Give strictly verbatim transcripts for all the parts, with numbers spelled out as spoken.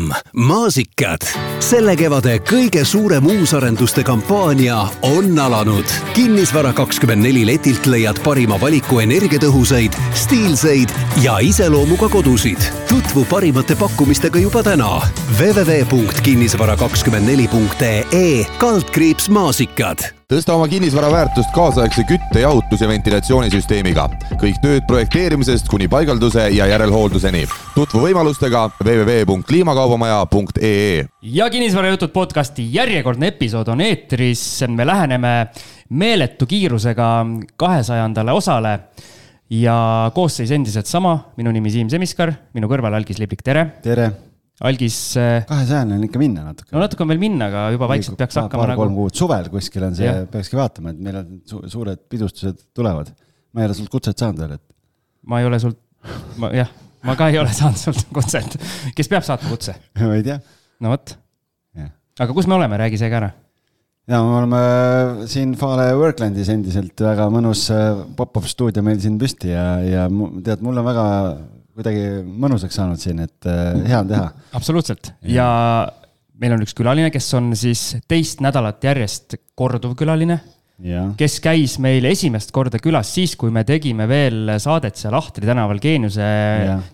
reklaam. Maasikad. Selle kevade kõige suurem uusarenduste kampaania on alanud. Kinnisvara kakskümmend neli letilt leiad parima valiku energiatõhusaid, stiilseid ja iseloomuga kodusid. Tutvu parimate pakkumistega juba täna. w w w punkt kinnisvara kakskümmend neli punkt e kaldkriips maasikad. Tõsta oma kinnisvara väärtust kaasaegse kütte, jahutus ja ventilatsioonisüsteemiga. Kõik tööd projekteerimisest kuni paigalduse ja järelhoolduseni. Tutvu võimalustega w w w punkt kliimakaubamaja punkt e e. Ja kinnisvarajutud podcasti järjekordne episood on eetris. Me läheneme meeletu kiirusega kahesajandale osale ja koosseis endiselt sama. Minu nimi Siim Semiskar, minu kõrval Algis Liblik, tere. Tere. Algis... kahesajane on ikka minna natuke. No natuke on veel minna, aga juba vaikselt peaks hakkama paar, nagu... kolm kuud suvel kuskil on see, ja. Peakski vaatama, et meil on su- suured pidustused tulevad. Ma ei ole sult kutset saanud veel, et... Ma ei ole sult... Ma, jah, ma ka ei ole saanud sult kutset. Kes peab saatma kutse? Ma ei tea. No võt. Aga kus me oleme? Räägi see ka ära. Ja, me oleme siin Fale Worklandis endiselt väga mõnus pop-up stuudio meil siin püsti ja, ja tead, mul on väga... kuidagi mõnusaks saanud siin, et hea on teha. Absoluutselt. Ja meil on üks külaline, kes on siis teist nädalat järjest korduv külaline, ja. Kes käis meil esimest korda külas siis, kui me tegime veel saadet seal Ahtri tänaval Geeniuse,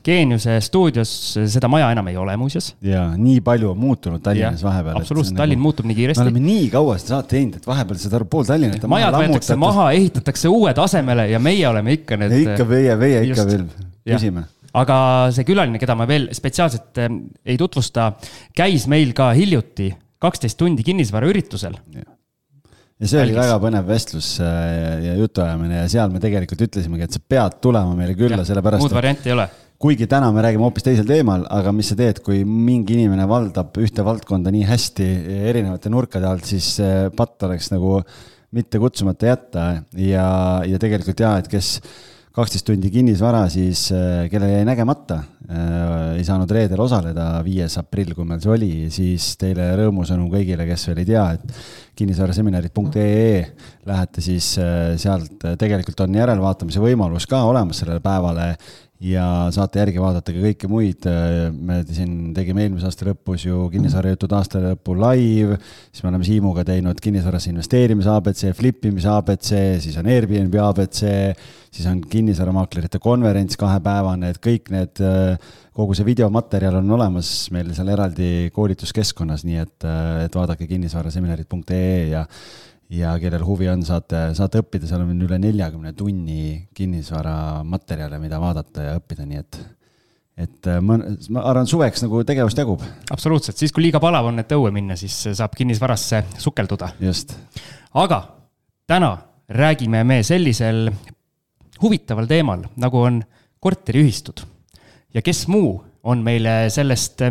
Geeniuse stuudios. Seda maja enam ei ole muuseas. Ja, nii palju on muutunud Tallinnas ja, vahepeal. Absoluutselt, Tallinn nagu... muutub nii kiiresti. Me oleme nii kaua seda saate teinud, et vahepeal seda pool Tallinnat majad võetakse maha, ehitatakse uued asemele ja meie oleme ikka need... Ja ikka meie, meie ikka veel püsime. Aga see külaline, keda ma veel spetsiaalselt ei tutvusta, käis meil ka hiljuti kaksteist tundi kinnisvara üritusel. Ja, ja see oli Algis. Väga põnev vestlus ja jutuajamine ja seal me tegelikult ütlesimegi, et sa pead tulema meile külla, ja, sellepärast... Muud varianti ei ole. Kuigi täna me räägime hoopis teisel teemal, aga mis sa teed, kui mingi inimene valdab ühte valdkonda nii hästi erinevate nurkade alt, siis patt oleks nagu mitte kutsumata jätta ja, ja tegelikult jah, et kes... kaksteist tundi kinnisvara, siis kelle jäi nägemata, ei saanud reedel osaleda viies aprill, kui meil see oli, siis teile rõõmusõnum kõigile, kes veel ei tea, et kinnisvaraseminarid punkt e e lähete siis sealt, tegelikult on järelvaatamise võimalus ka olemas sellele päevale ja saate järgi vaadata ka kõike muid. Me siin tegime eelmise aasta lõpus ju kinnisvarajutud aasta lõppu live, siis me oleme Siimuga teinud kinnisvarasse investeerimise A B C, flippimise A B C, siis on Airbnb A B C, siis on kinnisvaramaklerite konverents kahepäevane, et kõik need, kogu see videomaterjal on olemas meil seal eraldi koolituskeskkonnas, nii et, et vaadake kinnisvaraseminarid punkt e e ja ja kellel huvi on, saate, saate õppida, seal on üle neljakümne tunni kinnisvara materjale, mida vaadata ja õppida, nii et, et ma, ma arvan, suveks nagu tegevust jagub. Absoluutselt, siis kui liiga palav on, et õue minna, siis saab kinnisvarasse sukelduda. Just. Aga täna räägime me sellisel huvitaval teemal, nagu on korteriühistud. Ja kes muu on meile sellest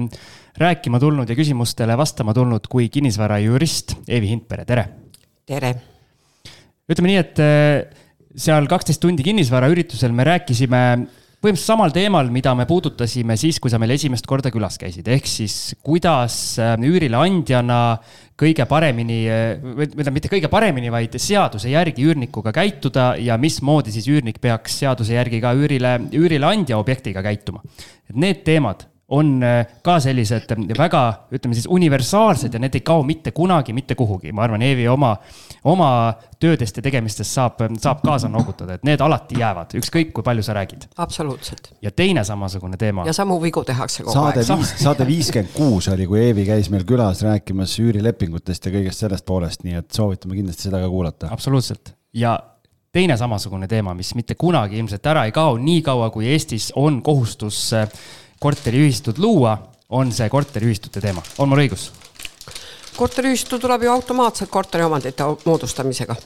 rääkima tulnud ja küsimustele vastama tulnud kui kinnisvara jurist Eevi Hindpere, tere! Tere. Ütleme nii, et seal kaksteist tundi kinnisvara üritusel me rääkisime põhimõtteliselt samal teemal, mida me puudutasime siis, kui sa meil esimest korda külas käisid. Ehk siis, kuidas üürile andjana kõige paremini, mitte kõige paremini, vaid seaduse järgi üürnikuga käituda ja mis moodi siis üürnik peaks seaduse järgi ka üürile, üürile andja objektiga käituma. Et need teemad on ka sellised väga, ütleme siis, universaalsed ja need ei kao mitte kunagi, mitte kuhugi. Ma arvan, Eevi oma, oma töödest ja tegemistest saab, saab kaasa noogutada, et need alati jäävad, ükskõik kui palju sa räägid. Absoluutselt. Ja teine samasugune teema. Ja samu vigu tehakse kogu saade aeg. Viis, saade viiskümmend kuus oli, kui Eevi käis meil külas rääkimas üürilepingutest ja kõigest sellest poolest, nii et soovitame kindlasti seda ka kuulata. Absoluutselt. Ja teine samasugune teema, mis mitte kunagi ilmselt ära ei kao, nii kaua kui Eestis on kohustus korteriühistud luua, on see korteriühistute teema. On mul õigus? Korteriühistu tuleb ju automaatselt korteriomandite moodustamisega.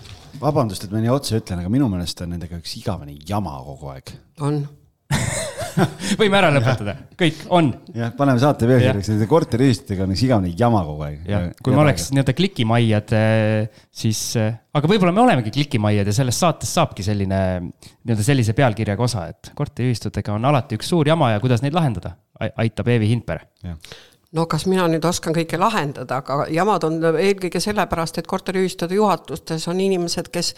Vabandust, et ma nii otse ütlen, aga minu meelest on nendega üks igavene jama kogu aeg. On. Võime ära lõpetada. Kõik on. Jah, paneme saate pealkirjaks, nende korteriühistutega on üks igavene jama kogu aeg. Ja, kui me oleks nii-öelda klikimaiad, siis, aga võib-olla me olemegi klikimaiad ja sellest saates saabki selline, nii-öelda sellise pealkirjaga osa, et korteriühistutega on alati üks suur jama ja kuidas neid lahendada, aitab Eevi Hindpere. Ja. No kas mina nüüd oskan kõike lahendada, aga jamad on eelkõige sellepärast, et korteriühistude juhatustes on inimesed, kes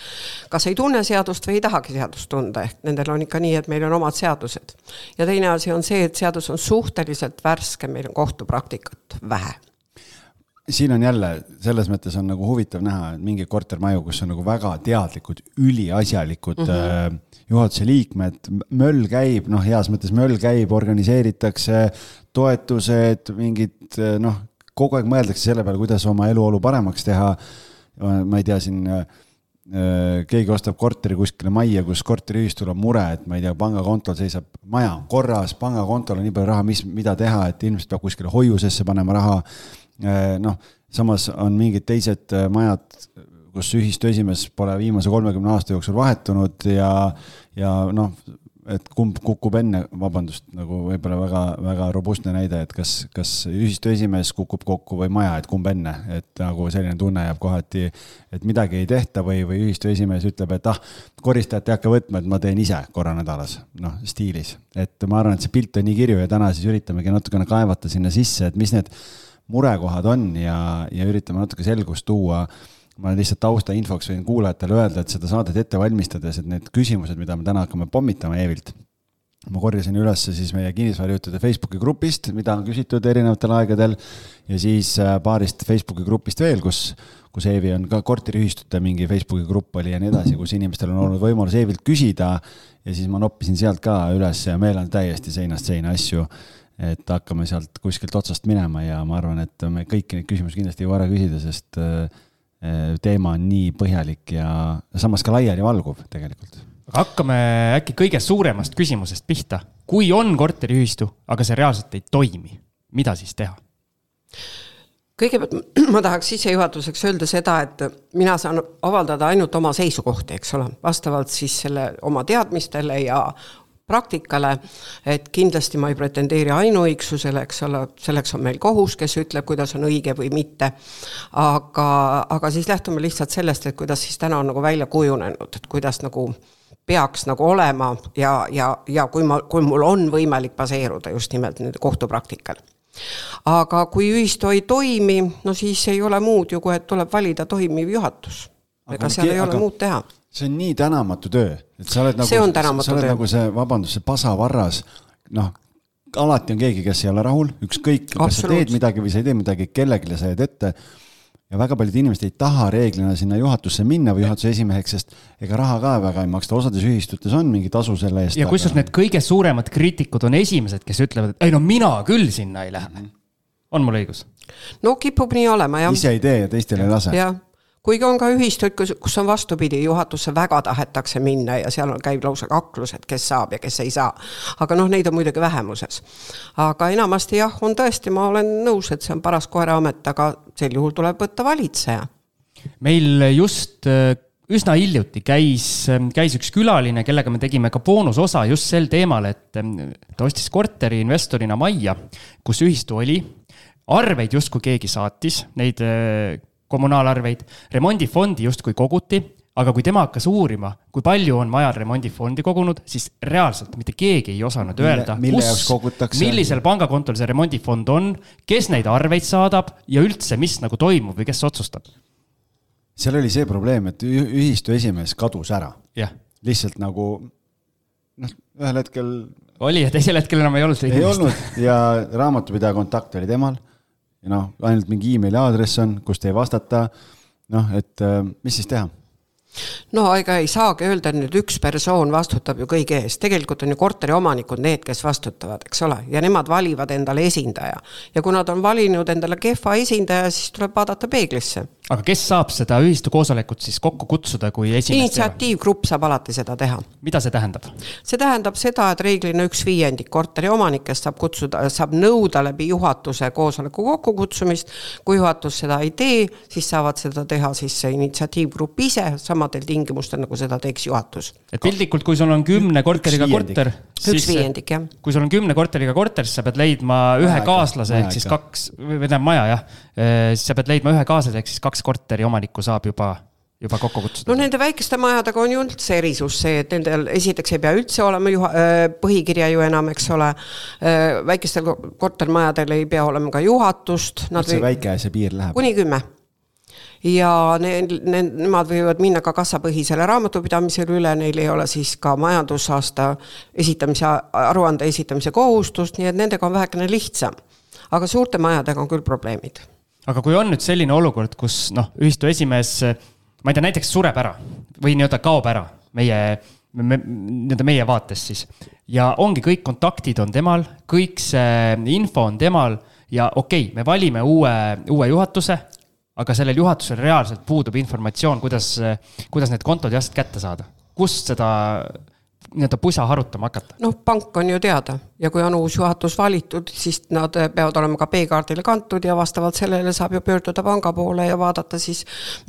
kas ei tunne seadust või ei tahagi seadust tunda, ehk nendel on ikka nii, et meil on omad seadused. Ja teine asi on see, et seadus on suhteliselt värske, meil on kohtupraktikat vähe. Siin on jälle, selles mõttes on nagu huvitav näha, et mingi kortermaju, kus on nagu väga teadlikud, üliasjalikud mm-hmm. juhatuse liikmed, möll käib, noh, heas mõttes möll käib, organiseeritakse toetused, mingid, noh, kogu aeg mõeldakse selle peale, kuidas oma eluolu paremaks teha. Ma ei tea, siin keegi ostab korteri kuskile majja, kus korteriühistul on mure, et ma ei tea, pangakontol seisab maja korras, pangakontol on nii palju raha, mis, mida teha, et inimesed peab kuskile hoiusesse panema raha. Noh, samas on mingid teised majad, kus ühistu esimees pole viimase kolmekümne aasta jooksul vahetunud ja, ja noh, et kumb kukub enne, vabandust, nagu võib-olla väga, väga robustne näide, et kas, kas ühistu esimees kukub kokku või maja, et kumb enne, et nagu selline tunne jääb kohati, et midagi ei tehta või, või ühistu esimees ütleb, et ah, koristajat ei hakka võtma, et ma teen ise korra nädalas, noh, stiilis. Et ma arvan, et see pilt on nii kirju ja täna siis üritamegi natukene kaevata sinna sisse, et mis need murekohad on ja, ja üritame natuke selgust tuua. Ma lihtsalt tausta infoks võin kuulajatele öelda, et seda saadet ette valmistades, et need küsimused, mida me täna hakkame pommitama Eevilt, ma korjasin üles siis meie kinnisvarajuhtude Facebooki grupist, mida on küsitud erinevatel aegadel ja siis paarist Facebooki grupist veel, kus, kus Eevi on ka korteriühistute mingi Facebooki grupp oli ja nii edasi, kus inimestel on olnud võimalus Eevilt küsida ja siis ma noppisin sealt ka üles ja meil on täiesti seinast seina asju, et hakkame sealt kuskilt otsast minema ja ma arvan, et me kõiki neid küsimusi kindlasti ei vara küsida, sest teema on nii põhjalik ja samas ka laiali valguv tegelikult. Aga hakkame äkki kõige suuremast küsimusest pihta. Kui on korteriühistu, aga see reaalselt ei toimi, mida siis teha? Kõigepealt ma tahaks sissejuhatuseks öelda seda, et mina saan avaldada ainult oma seisukohti, eks ole, vastavalt siis selle oma teadmistele ja praktikale, et kindlasti ma ei pretendeeri ainuõigsusele, eks ole, selleks on meil kohus, kes ütleb, kuidas on õige või mitte, aga, aga siis lähtume lihtsalt sellest, et kuidas siis täna on nagu välja kujunenud, et kuidas nagu peaks nagu olema ja, ja, ja kui, ma, kui mul on võimalik baseeruda just nimelt nende kohtupraktikal. Aga kui ühistu ei toimi, no siis ei ole muud ju, kui et tuleb valida toimiv juhatus. Ega seal ei ole aga... muud teha. See on nii tänamatu töö, et sa oled nagu, see on tänamatu sa oled töö. Nagu see, vabandus, see pasavarras, noh, alati on keegi, kes ei ole rahul, ükskõik, kas sa teed midagi või sa ei tee midagi, kellegile sa jääd ette ja väga paljud inimesed ei taha reeglina sinna juhatusse minna või juhatuse esimeheks, sest ega raha ka väga ei maksta, osades ühistutes on mingi tasu selle eest. Ja aga... kusjuures need kõige suuremad kriitikud on esimesed, kes ütlevad, et ei no mina küll sinna ei lähe. On mul õigus? No kipub nii olema, jah. Ise ei tee ja teistel ei lase. Jah. Kuigi on ka ühistud, kus on vastupidi, juhatusse väga tahetakse minna ja seal käib lausa kaklused, kes saab ja kes ei saa. Aga noh, neid on muidugi vähemuses. Aga enamasti jah, on tõesti, ma olen nõus, et see on paras koeraamet, aga sel juhul tuleb võtta valitseja. Meil just üsna hiljuti käis, käis üks külaline, kellega me tegime ka boonusosa just sel teemal, et ta ostis korteri investorina majja, kus ühistu oli. Arveid just kui keegi saatis, neid kommunaalarveid, remondifondi just kui koguti, aga kui tema hakkas uurima, kui palju on majal remondifondi kogunud, siis reaalselt mitte keegi ei osanud mille, öelda, mille kus, millisel pangakontol see remondifond on, kes neid arveid saadab ja üldse, mis nagu toimub või kes otsustab. Seal oli see probleem, et ühistu esimees kadus ära. Yeah. Lihtsalt nagu, noh, ühel hetkel... Oli ja teisel hetkel enam ei olnud. Ei olnud ja raamatupidaja kontakt oli temal. Ja noh, ainult mingi e-maili aadress on, kust ei vastata, noh, et mis siis teha? No ega ei saagi öelda, et nüüd üks persoon vastutab ju kõige eest. Tegelikult on ju korteri omanikud need, kes vastutavad, eks ole, ja nemad valivad endale esindaja. Ja kui nad on valinud endale kehva esindaja, siis tuleb vaadata peeglisse. Aga kes saab seda ühistu koosolekut siis kokku kutsuda, kui esimest initsiatiivgrupp saab alati seda teha. Mida see tähendab? See tähendab seda, et reeglina üks viiendik korteri omanikest saab, kutsuda, saab nõuda läbi juhatuse koosoleku kokkukutsumist. Kui juhatus seda ei tee, siis saavad seda teha siis see initsiatiivgrupp ise samadel tingimustel, nagu seda teeks juhatus. Et pildikult, kui sul on kümne korteriga korter, siis, viiendik, jah. Kui sul on kümne korteriga korter, siis sa pead leidma ühe maja kaaslase, ehk siis kaks, või tähendab maja, jah, siis sa pead leidma ühe kaaslase, ehk siis kaks korteri omanikku saab juba juba kokku kutsuda? No nende väikeste majadega on ju üldse erisus see, et nendel esiteks ei pea üldse olema juha, põhikirja ju enam, eks ole. Väikestel kortermajadel ei pea olema ka juhatust. Nad see või... väike see piir läheb? Kuni kümme. Ja ne, ne, nemad võivad minna ka kassapõhisele raamatupidamisele üle, neil ei ole siis ka majandusaasta esitamise, aruande esitamise kohustust, nii et nendega on vähekene lihtsam. Aga suurte majadega on küll probleemid. Aga kui on nüüd selline olukord, kus noh, ühistu esimees ma ei tea, näiteks sureb ära või nii-öelda kaob ära meie, me, nii-öelda meie vaates siis. Ja ongi kõik kontaktid on temal, kõik see info on temal ja okei, okay, me valime uue, uue juhatuse, aga sellel juhatusel reaalselt puudub informatsioon, kuidas, kuidas need kontod jast kätte saada. Kust seda nii-öelda pusa harutama hakata? No pank on ju teada ja kui on uus juhatus valitud, siis nad peavad olema ka B-kaardile kantud ja vastavalt sellele saab ju pöörduda panga poole ja vaadata siis,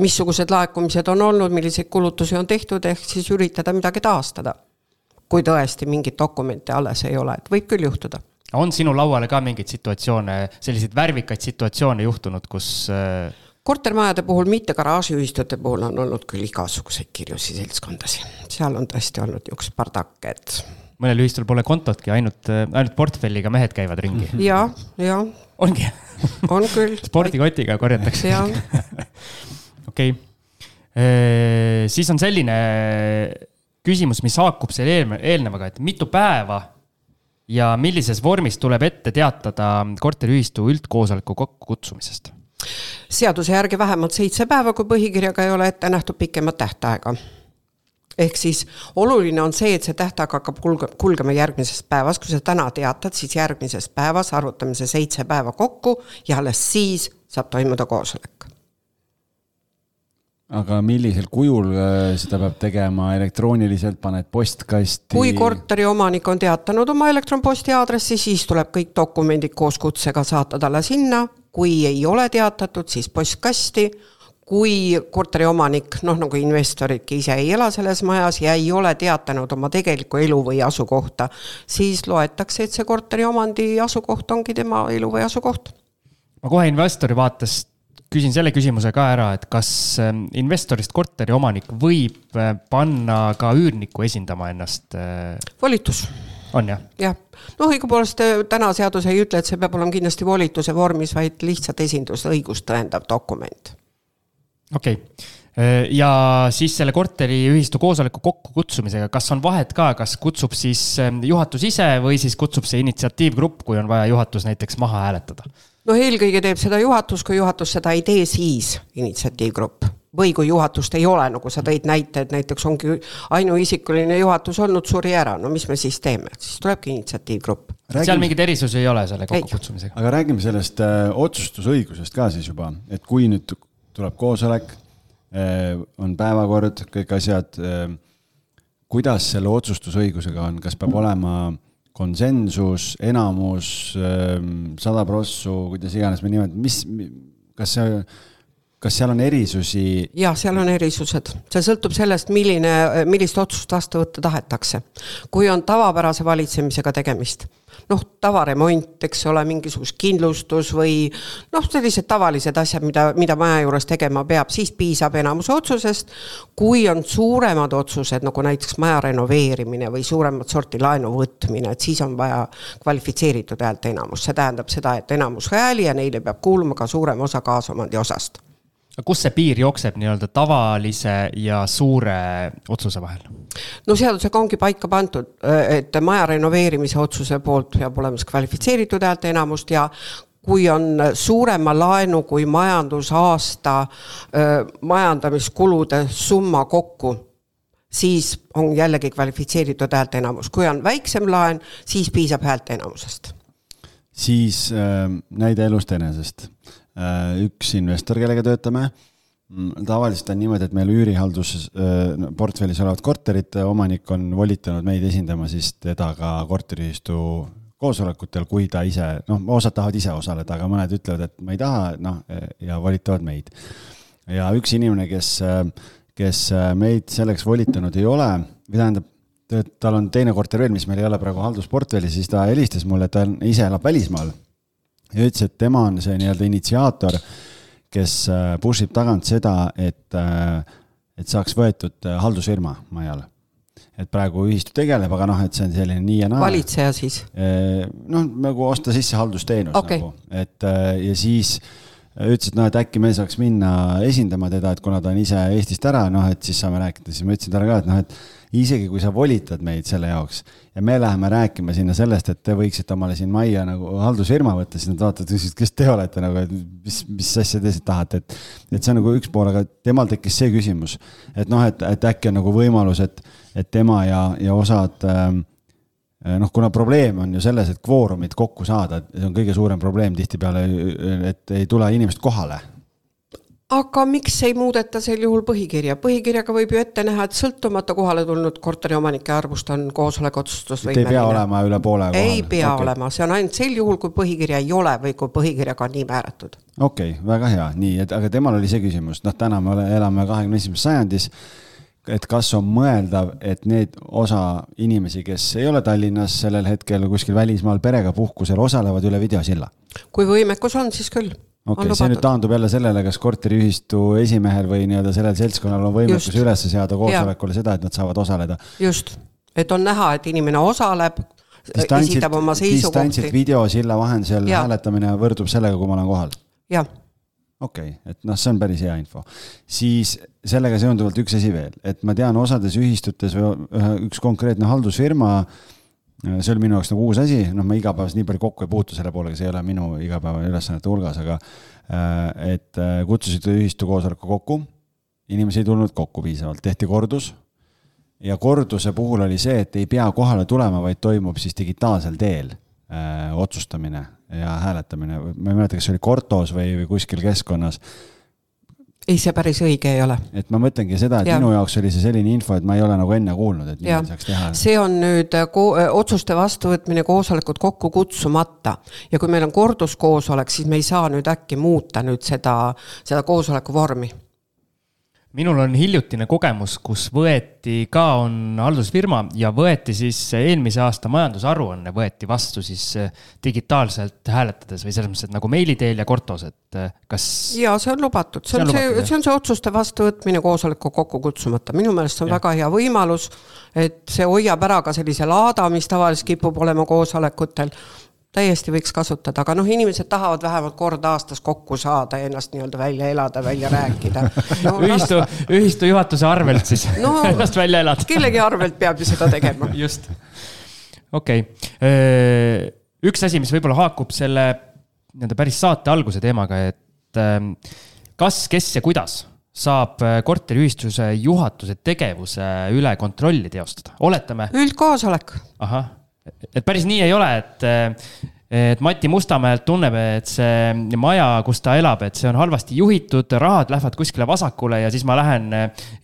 missugused laekumised on olnud, milliseid kulutusi on tehtud, ehk siis üritada midagi taastada. Kui tõesti mingit dokumente alles ei ole, et võib küll juhtuda. On sinu lauale ka mingeid situatsioone, selliseid värvikaid situatsioone juhtunud, kus... Kortermajade puhul, mitte garaažiühistute puhul on olnud küll igasuguseid kirjusi seltskondasi. Seal on tõesti olnud üks pardak, et... Mõnel ühistul pole kontotki, ainult, ainult portfelliga mehed käivad ringi. Ja, ja. Ongi? On küll. Spordikotiga korjatakse. Ja. Okei. Okay. Siis on selline küsimus, mis haakub selle eelnevaga, et mitu päeva ja millises vormis tuleb ette teatada korteriühistu üldkoosoleku kokkukutsumisest? Seaduse järgi vähemalt seitse päeva, kui põhikirjaga ei ole ette nähtud pikemat tähtaega. Ehk siis oluline on see, et see tähtaeg hakkab kulgema järgmisest päevas. Kui sa täna teatad, siis järgmisest päevas arvutame see seitse päeva kokku ja alles siis saab toimuda koosolek. Aga millisel kujul seda peab tegema? Elektrooniliselt paned postkasti? Kui korteri omanik on teatanud oma elektronposti aadressi, siis tuleb kõik dokumendid koos kutsega saata talle sinna. Kui ei ole teatatud, siis postkasti. Kui korteri omanik, noh nagu investoridki ise ei ela selles majas ja ei ole teatanud oma tegeliku elu või asukohta, siis loetakse, et see korteri omandi asukoht ongi tema elu või asukoht. Ma kohe investori vaates küsin selle küsimuse ka ära, et kas investorist korteri omanik võib panna ka üürniku esindama ennast? Volitus. On jah? Jah. No õigupoolest täna seadus ei ütle, et see peab olema kindlasti volituse vormis, vaid lihtsalt esindus õigust tõendav dokument. Okei. Okay. Ja siis selle korteri ühistu koosoleku kokku kutsumisega, kas on vahet ka, kas kutsub siis juhatus ise või siis kutsub see initsiatiivgrupp, kui on vaja juhatus näiteks maha hääletada? No eelkõige teeb seda juhatus, kui juhatus seda ei tee, siis initsiatiivgrupp. Või kui juhatust ei ole, nagu sa tõid näite, et näiteks ongi ainuisikuline juhatus olnud suri ära, no mis me siis teeme? Siis tulebki initsiatiivgrupp. Räägime... Seal mingid erisusi ei ole selle kokkukutsumisega. Aga räägime sellest äh, otsustusõigusest ka siis juba, et kui nüüd tuleb koosolek, äh, on päevakord, kõik asjad, äh, kuidas selle otsustusõigusega on, kas peab olema konsensus, enamus, äh, sada prossu, kuidas iganes me nimed, mis, kas see Kas seal on erisusi? Jah, seal on erisused. See sõltub sellest, milline, millist otsust vastu võtta tahetakse. Kui on tavapärase valitsemisega tegemist, noh, tavaremont, eks ole, mingisugust kindlustus või noh, sellised tavalised asjad, mida, mida maja juures tegema peab, siis piisab enamuse otsusest. Kui on suuremad otsused, nagu näiteks maja renoveerimine või suuremat sorti laenu võtmine, et siis on vaja kvalifitseeritud häälte enamus. See tähendab seda, et enamus hääli ja neile peab kuuluma ka suurem osa kaasomandi osast. Kus see piir jookseb nii-öelda tavalise ja suure otsuse vahel? No seadusega ongi paika pandud, et maja renoveerimise otsuse poolt peab olema kvalifitseeritud häälte enamust ja kui on suurema laenu kui majandusaasta majandamiskulude summa kokku, siis on jällegi kvalifitseeritud häälte enamus. Kui on väiksem laen, siis piisab häälte enamusest. Siis äh, näide elust enesest. Üks investor, kellega töötame, tavaliselt on niimoodi, et meil üürihaldus portfellis olevat korterit, omanik on volitanud meid esindama siis teda ka korteriühistu koosolekutel, kui ta ise, noh, osad tahavad ise osaleda, aga mõned ütlevad, et ma ei taha, noh, ja volitavad meid. Ja üks inimene, kes, kes meid selleks volitanud ei ole, või tähendab, tal on teine korter veel, mis meil ei ole praegu haldusportfellis, siis ta helistas mulle, et ta ise elab välismaal. Ja ütles, et tema on see nii-öelda initsiaator, kes pushib tagant seda, et et saaks võetud haldusfirma majale. Et praegu ühistu tegeleb, aga noh, et see on selline nii ja naa. Valitseja siis? Noh, nagu osta sisse haldusteenus okay. nagu. Et, ja siis ütlesid, no, et äkki me saaks minna esindama teda, et kuna ta on ise Eestist ära, noh, et siis saame rääkida. Siis ma ütlesin talle ka, et noh, et isegi kui sa volitad meid selle jaoks ja me läheme rääkima sinna sellest, et te võiksite omale siin majja nagu haldusfirma võtta, siis nad vaatavad, kes te olete, nagu, et mis, mis asja te tahate. Et, et see on nagu üks pool, aga temal tekkis see küsimus, et noh, et, et äkki on nagu võimalus, et, et tema ja, ja osad, noh, kuna probleem on ju selles, et kvoorumid kokku saada, see on kõige suurem probleem tihtipeale, et ei tule inimest kohale. Aga miks ei muudeta sel juhul põhikirja? Põhikirjaga võib ju ette näha, et sõltumata kohale tulnud korteriomanike arvust on koosolek otsustusvõimeline. Ei pea olema üle poole kohale? Ei pea okay. olema, see on ainult sel juhul, kui põhikirja ei ole või kui põhikirjaga on nii määratud. Okei, okay, väga hea. Nii, et, aga temal oli see küsimus. Noh, täna me elame kahekümne esimesel sajandis, et kas on mõeldav, et need osa inimesi, kes ei ole Tallinnas sellel hetkel kuskil välismaal perega puhkusel, osalevad üle videosilla? Kui võimekus on, siis küll. Okei, okay, see nüüd taandub jälle sellele, kas korteriühistu esimehel või nii-öelda sellel seltskonnal on võimekus üles seada koosolekule seda, et nad saavad osaleda. Just, et on näha, et inimene osaleb, esitab oma seisukohti. Distantsilt videosilla vahendusel hääletamine võrdub sellega, kui ma olen kohal? Jah. Okei, okay, et noh, see on päris hea info. Siis sellega seonduvalt üks asi veel, et ma tean osades ühistutes või üks konkreetne haldusfirma, see oli minu jaoks nagu uus asi, noh ma igapäevas nii palju kokku ei puutu selle poolega, see ei ole minu igapäeva ülesannete hulgas, aga et kutsusid ühistu koosoleku kokku, inimesi ei tulnud kokku piisavalt, tehti kordus ja korduse puhul oli see, et ei pea kohale tulema, vaid toimub siis digitaalsel teel öö, otsustamine ja hääletamine, ma ei mäleta, kas see oli Kortos või, või kuskil keskkonnas. Ei, see päris õige ei ole. Et ma mõtlengi seda, et ja. Minu jaoks oli see selline info, et ma ei ole nagu enne kuulnud, et nii saaks teha. See on nüüd ko- otsuste vastuvõtmine koosolekud kokku kutsumata. Ja kui meil on korduskoosolek, siis me ei saa nüüd äkki muuta nüüd seda, seda koosoleku vormi. Minul on hiljutine kogemus, kus võeti ka on haldusfirma ja võeti siis eelmise aasta majandusaruanne võeti vastu siis digitaalselt hääletades või selles mõttes, et nagu meili teel ja Kortos, et kas... Ja, see on lubatud. See on see, see, see, on see otsuste vastuvõtmine koosoleku kokku kutsumata. Minu meelest on ja. Väga hea võimalus, et see hoiab ära ka sellise laada, mis tavaliselt kipub olema koosolekutel. Täiesti võiks kasutada, aga noh, inimesed tahavad vähemalt kord aastas kokku saada ja ennast nii-öelda välja elada, välja rääkida. No, ühistu, ühistu juhatuse arvelt siis no, ennast välja elada. Kellegi arvelt peab ju seda tegema. Just. Okei. Okay. Üks asi, mis võib-olla haakub selle päris saate alguse teemaga, et kas, kes ja kuidas saab korteriühistuse juhatuse tegevuse üle kontrolli teostada? Oletame. Üldkoosolek. Ahah. Et päris nii ei ole, et, et Mati Mustamäelt tunneb, et see maja, kus ta elab, et see on halvasti juhitud, rahad lähevad kuskile vasakule ja siis ma lähen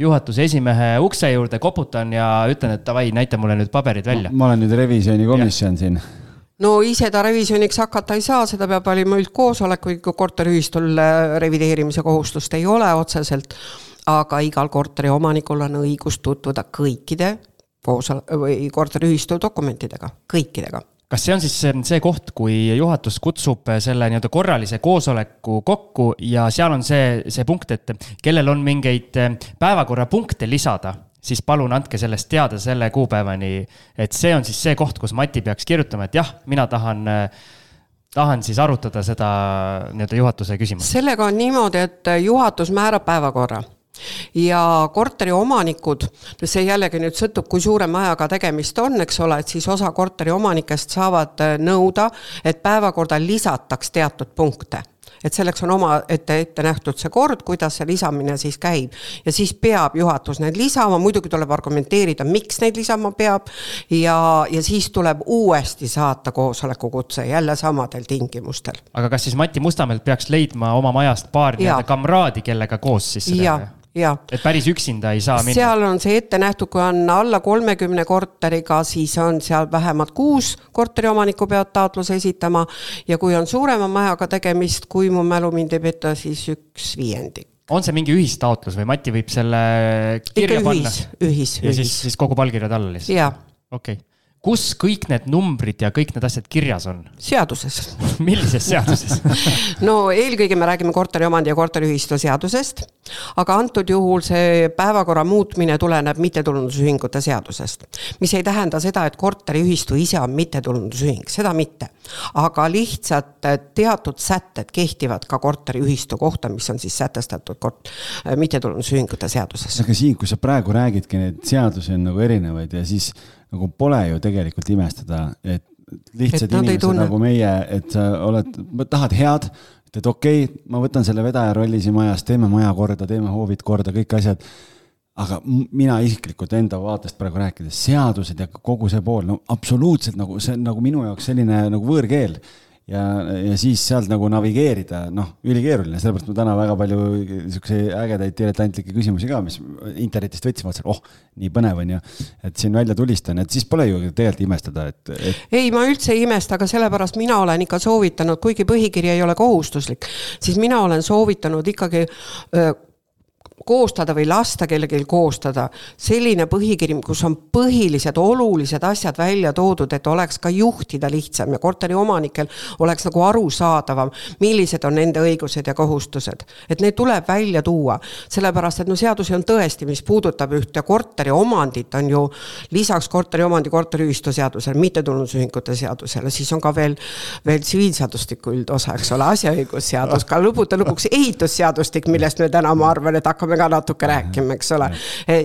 juhatuse esimehe ukse juurde, koputan ja ütlen, et davai, näita mulle nüüd paberid välja. Ma olen nüüd revisjoni komisjon ja. Siin. No ise ta revisjoniks hakata ei saa, seda peab olema üldkoosolek, kui korteriühistul revideerimise kohustust ei ole otseselt, aga igal korteri omanikul on õigus tutvuda kõikide või korteriühistu dokumentidega, kõikidega. Kas see on siis see koht, kui juhatus kutsub selle nii-öelda korralise koosoleku kokku ja seal on see, see punkt, et kellel on mingeid päevakorrapunkte lisada, siis palun andke sellest teada selle kuupäevani, et see on siis see koht, kus Mati peaks kirjutama, et jah, mina tahan, tahan siis arutada seda nii-öelda juhatuse küsimust. Sellega on niimoodi, et juhatus määrab päevakorra. Ja korteri omanikud, see jällegi nüüd sõltub, kui suure majaga tegemist on, eks ole, et siis osa korteri omanikest saavad nõuda, et päevakorda lisataks teatud punkte. Et selleks on oma ette, ette nähtud see kord, kuidas see lisamine siis käib. Ja siis peab juhatus need lisama, muidugi tuleb argumenteerida, miks neid lisama peab ja, ja siis tuleb uuesti saata koosoleku kutse jälle samadel tingimustel. Aga kas siis Mati Mustamelt peaks leidma oma majast paar kamraadi, kellega koos siis seda? Ja. Ja. Et päris üksinda ei saa minna. Seal on see ette nähtud, kui on alla kolmekümne korteriga, siis on seal vähemalt kuus korteri omaniku peavad taotluse esitama ja kui on suurema majaga tegemist, kui mu mälu mind ei peta, siis üks viiendik. On see mingi ühistaotlus või Mati võib selle kirja Ikka panna? Ühis, ühis. Ja siis, siis kogu palkirjad alla lihtsalt? Jaa. Okei. Okay. Kus kõik need numbrid ja kõik need asjad kirjas on? Seaduses. Millises seaduses? No eelkõige me räägime korteriomandi ja korteriühistu seadusest aga antud juhul see päevakorra muutmine tuleneb mittetulundusühingute seadusest, mis ei tähenda seda, et korteriühistu ise on mittetulundusühing, seda mitte. Aga lihtsalt teatud sätted kehtivad ka korteriühistu kohta, mis on siis sätestatud kort- mittetulundusühingute seaduses. Aga siin, kui sa praegu räägidki, need seadusi on nagu erinevaid ja siis nagu pole ju tegelikult imestada, et lihtsad et inimesed nagu meie, et sa oled, tahad head, et okei, okay, ma võtan selle vedaja rolli siin majas, teeme maja korda, teeme hoovid korda, kõik asjad. Aga mina isiklikult enda vaatest praegu rääkides, seadused ja kogu see pool, no absoluutselt nagu, see on nagu minu jaoks selline nagu võõrkeel. Ja, ja siis sealt nagu navigeerida, noh, ülikeeruline, sellepärast ma täna väga palju ägedaid diletantlikke küsimusi ka, mis internetist võtsin, vaatasin, oh, nii põnev on ja et siin välja tulistan, et siis pole ju tegelikult imestada. Et, et... Ei, ma üldse ei imesta, aga sellepärast mina olen ikka soovitanud, kuigi põhikiri ei ole kohustuslik, siis mina olen soovitanud ikkagi öö, koostada või lasta kellelgi koostada selline põhikiri, kus on põhilised olulised asjad välja toodud, et oleks ka juhtida lihtsam ja korteri omanikel oleks nagu arusaadavam, millised on nende õigused ja kohustused. Et need tuleb välja tuua, sellepärast, et no seadusi on tõesti, mis puudutab ühte korteri omandit, on ju lisaks korteri omandi korteriühistu seadusele, mittetulundusühingute seadusele, siis on ka veel, veel tsiviilseadustiku üldosa, eks ole, asjaõigusseadus, ka lõputa lõpuks ehitusseadustik, millest me täna ma arvan, et hakkame ka natuke rääkima, eks ole.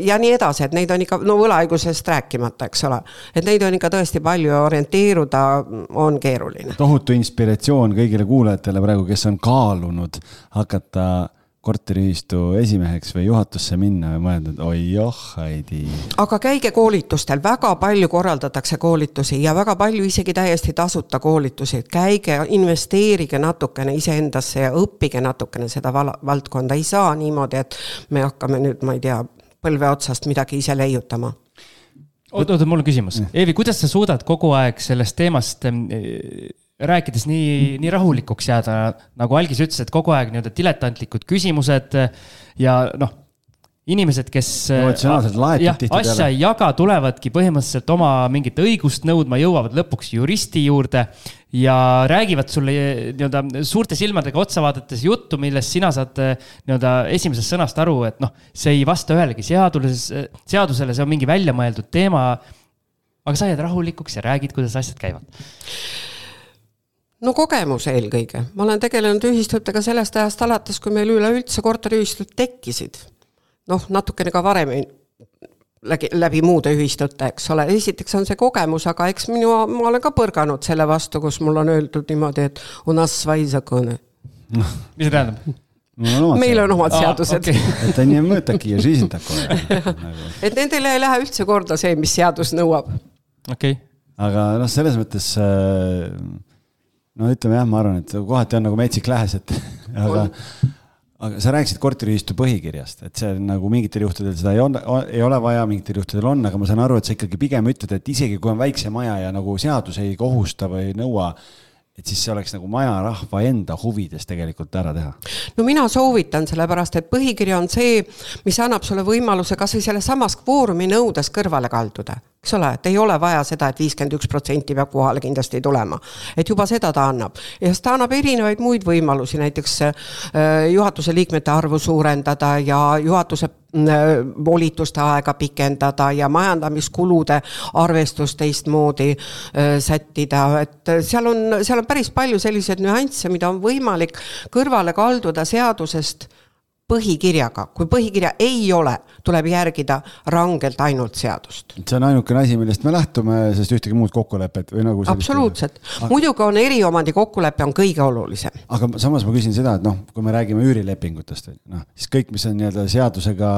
Ja nii edasi, et neid on ikka, no võlaõigusest rääkimata, eks ole. Et neid on ikka tõesti palju orienteeruda, on keeruline. Tohutu inspiratsioon kõigile kuulajatele praegu, kes on kaalunud hakata korteriühistu esimeheks või juhatusse minna või mõeldud, oi joh, Heidi. Aga käige koolitustel, väga palju korraldatakse koolitusi ja väga palju isegi täiesti tasuta koolitusi. Käige, investeerige natukene iseendasse ja õppige natukene seda val- valdkonda. Ei saa niimoodi, et me hakkame nüüd, ma ei tea, põlve otsast midagi ise leiutama. Oot, oot, mul on küsimus. Eevi, kuidas sa suudad kogu aeg sellest teemast rääkides nii, nii rahulikuks jääda, nagu Algis ütles, et kogu aeg nii-öelda diletantlikud küsimused ja noh, inimesed, kes jah, asja ei jaga, tulevadki põhimõtteliselt oma mingit õigust nõudma, jõuavad lõpuks juristi juurde ja räägivad sulle nii-öelda suurte silmadega otsa vaadates juttu, millest sina saad nii-öelda esimesest sõnast aru, et noh, see ei vasta ühelegi seadusele, seadusele, see on mingi välja mõeldud teema, aga sa jääd rahulikuks ja räägid, kuidas asjad käivad. No kogemus eelkõige. Ma olen tegelenud ühistutega sellest ajast alates, kui meil üleüldse korteriühistud tekkisid. Noh, natukene ka varem läbi, läbi muude ühistute, eks ole. Esiteks on see kogemus, aga eks minu, ma olen ka põrganud selle vastu, kus mul on öeldud niimoodi, et u nas svai zakone. Mis see tähendab? No, meil on omad seadused. Ah, okay. Et on nii mõõtaki ja žiisin tako. Et nendele ei lähe üldse korda see, mis seadus nõuab. Okay. Aga noh, selles mõttes... No ütleme jah, ma arvan, et kohati on nagu metsik lähes, et aga, aga sa rääkisid korteriühistu põhikirjast, et see nagu mingitel juhtudel seda ei, on, ei ole vaja, mingitel juhtudel on, aga ma saan aru, et sa ikkagi pigem ütled, et isegi kui on väikse maja ja nagu seadus ei kohusta või nõua, et siis see oleks nagu maja rahva enda huvides tegelikult ära teha. No mina soovitan sellepärast, et põhikiri on see, mis annab sulle võimaluse kas või selle samas kvoorumi nõudes kõrvale kalduda. Eks ole, et ei ole vaja seda, et viiskümmend üks protsenti peab kohale kindlasti tulema. Et juba seda ta annab. Ja ta annab erinevaid muid võimalusi, näiteks juhatuse liikmete arvu suurendada ja juhatuse volituste aega pikendada ja majandamiskulude arvestust teistmoodi sättida. Et seal on, seal on päris palju selliseid nüansse, mida on võimalik kõrvale kalduda seadusest põhikirjaga. Kui põhikirja ei ole, tuleb järgida rangelt ainult seadust. See on ainukene asi, millest me lähtume, sest ühtegi muud kokkulepet või nagu absoluutselt. Aga... muidugi on eriomandi kokkulepe on kõige olulisem. Aga samas ma küsin seda, et noh, kui me räägime üürilepingutest, noh, siis kõik, mis on nii-öelda seadusega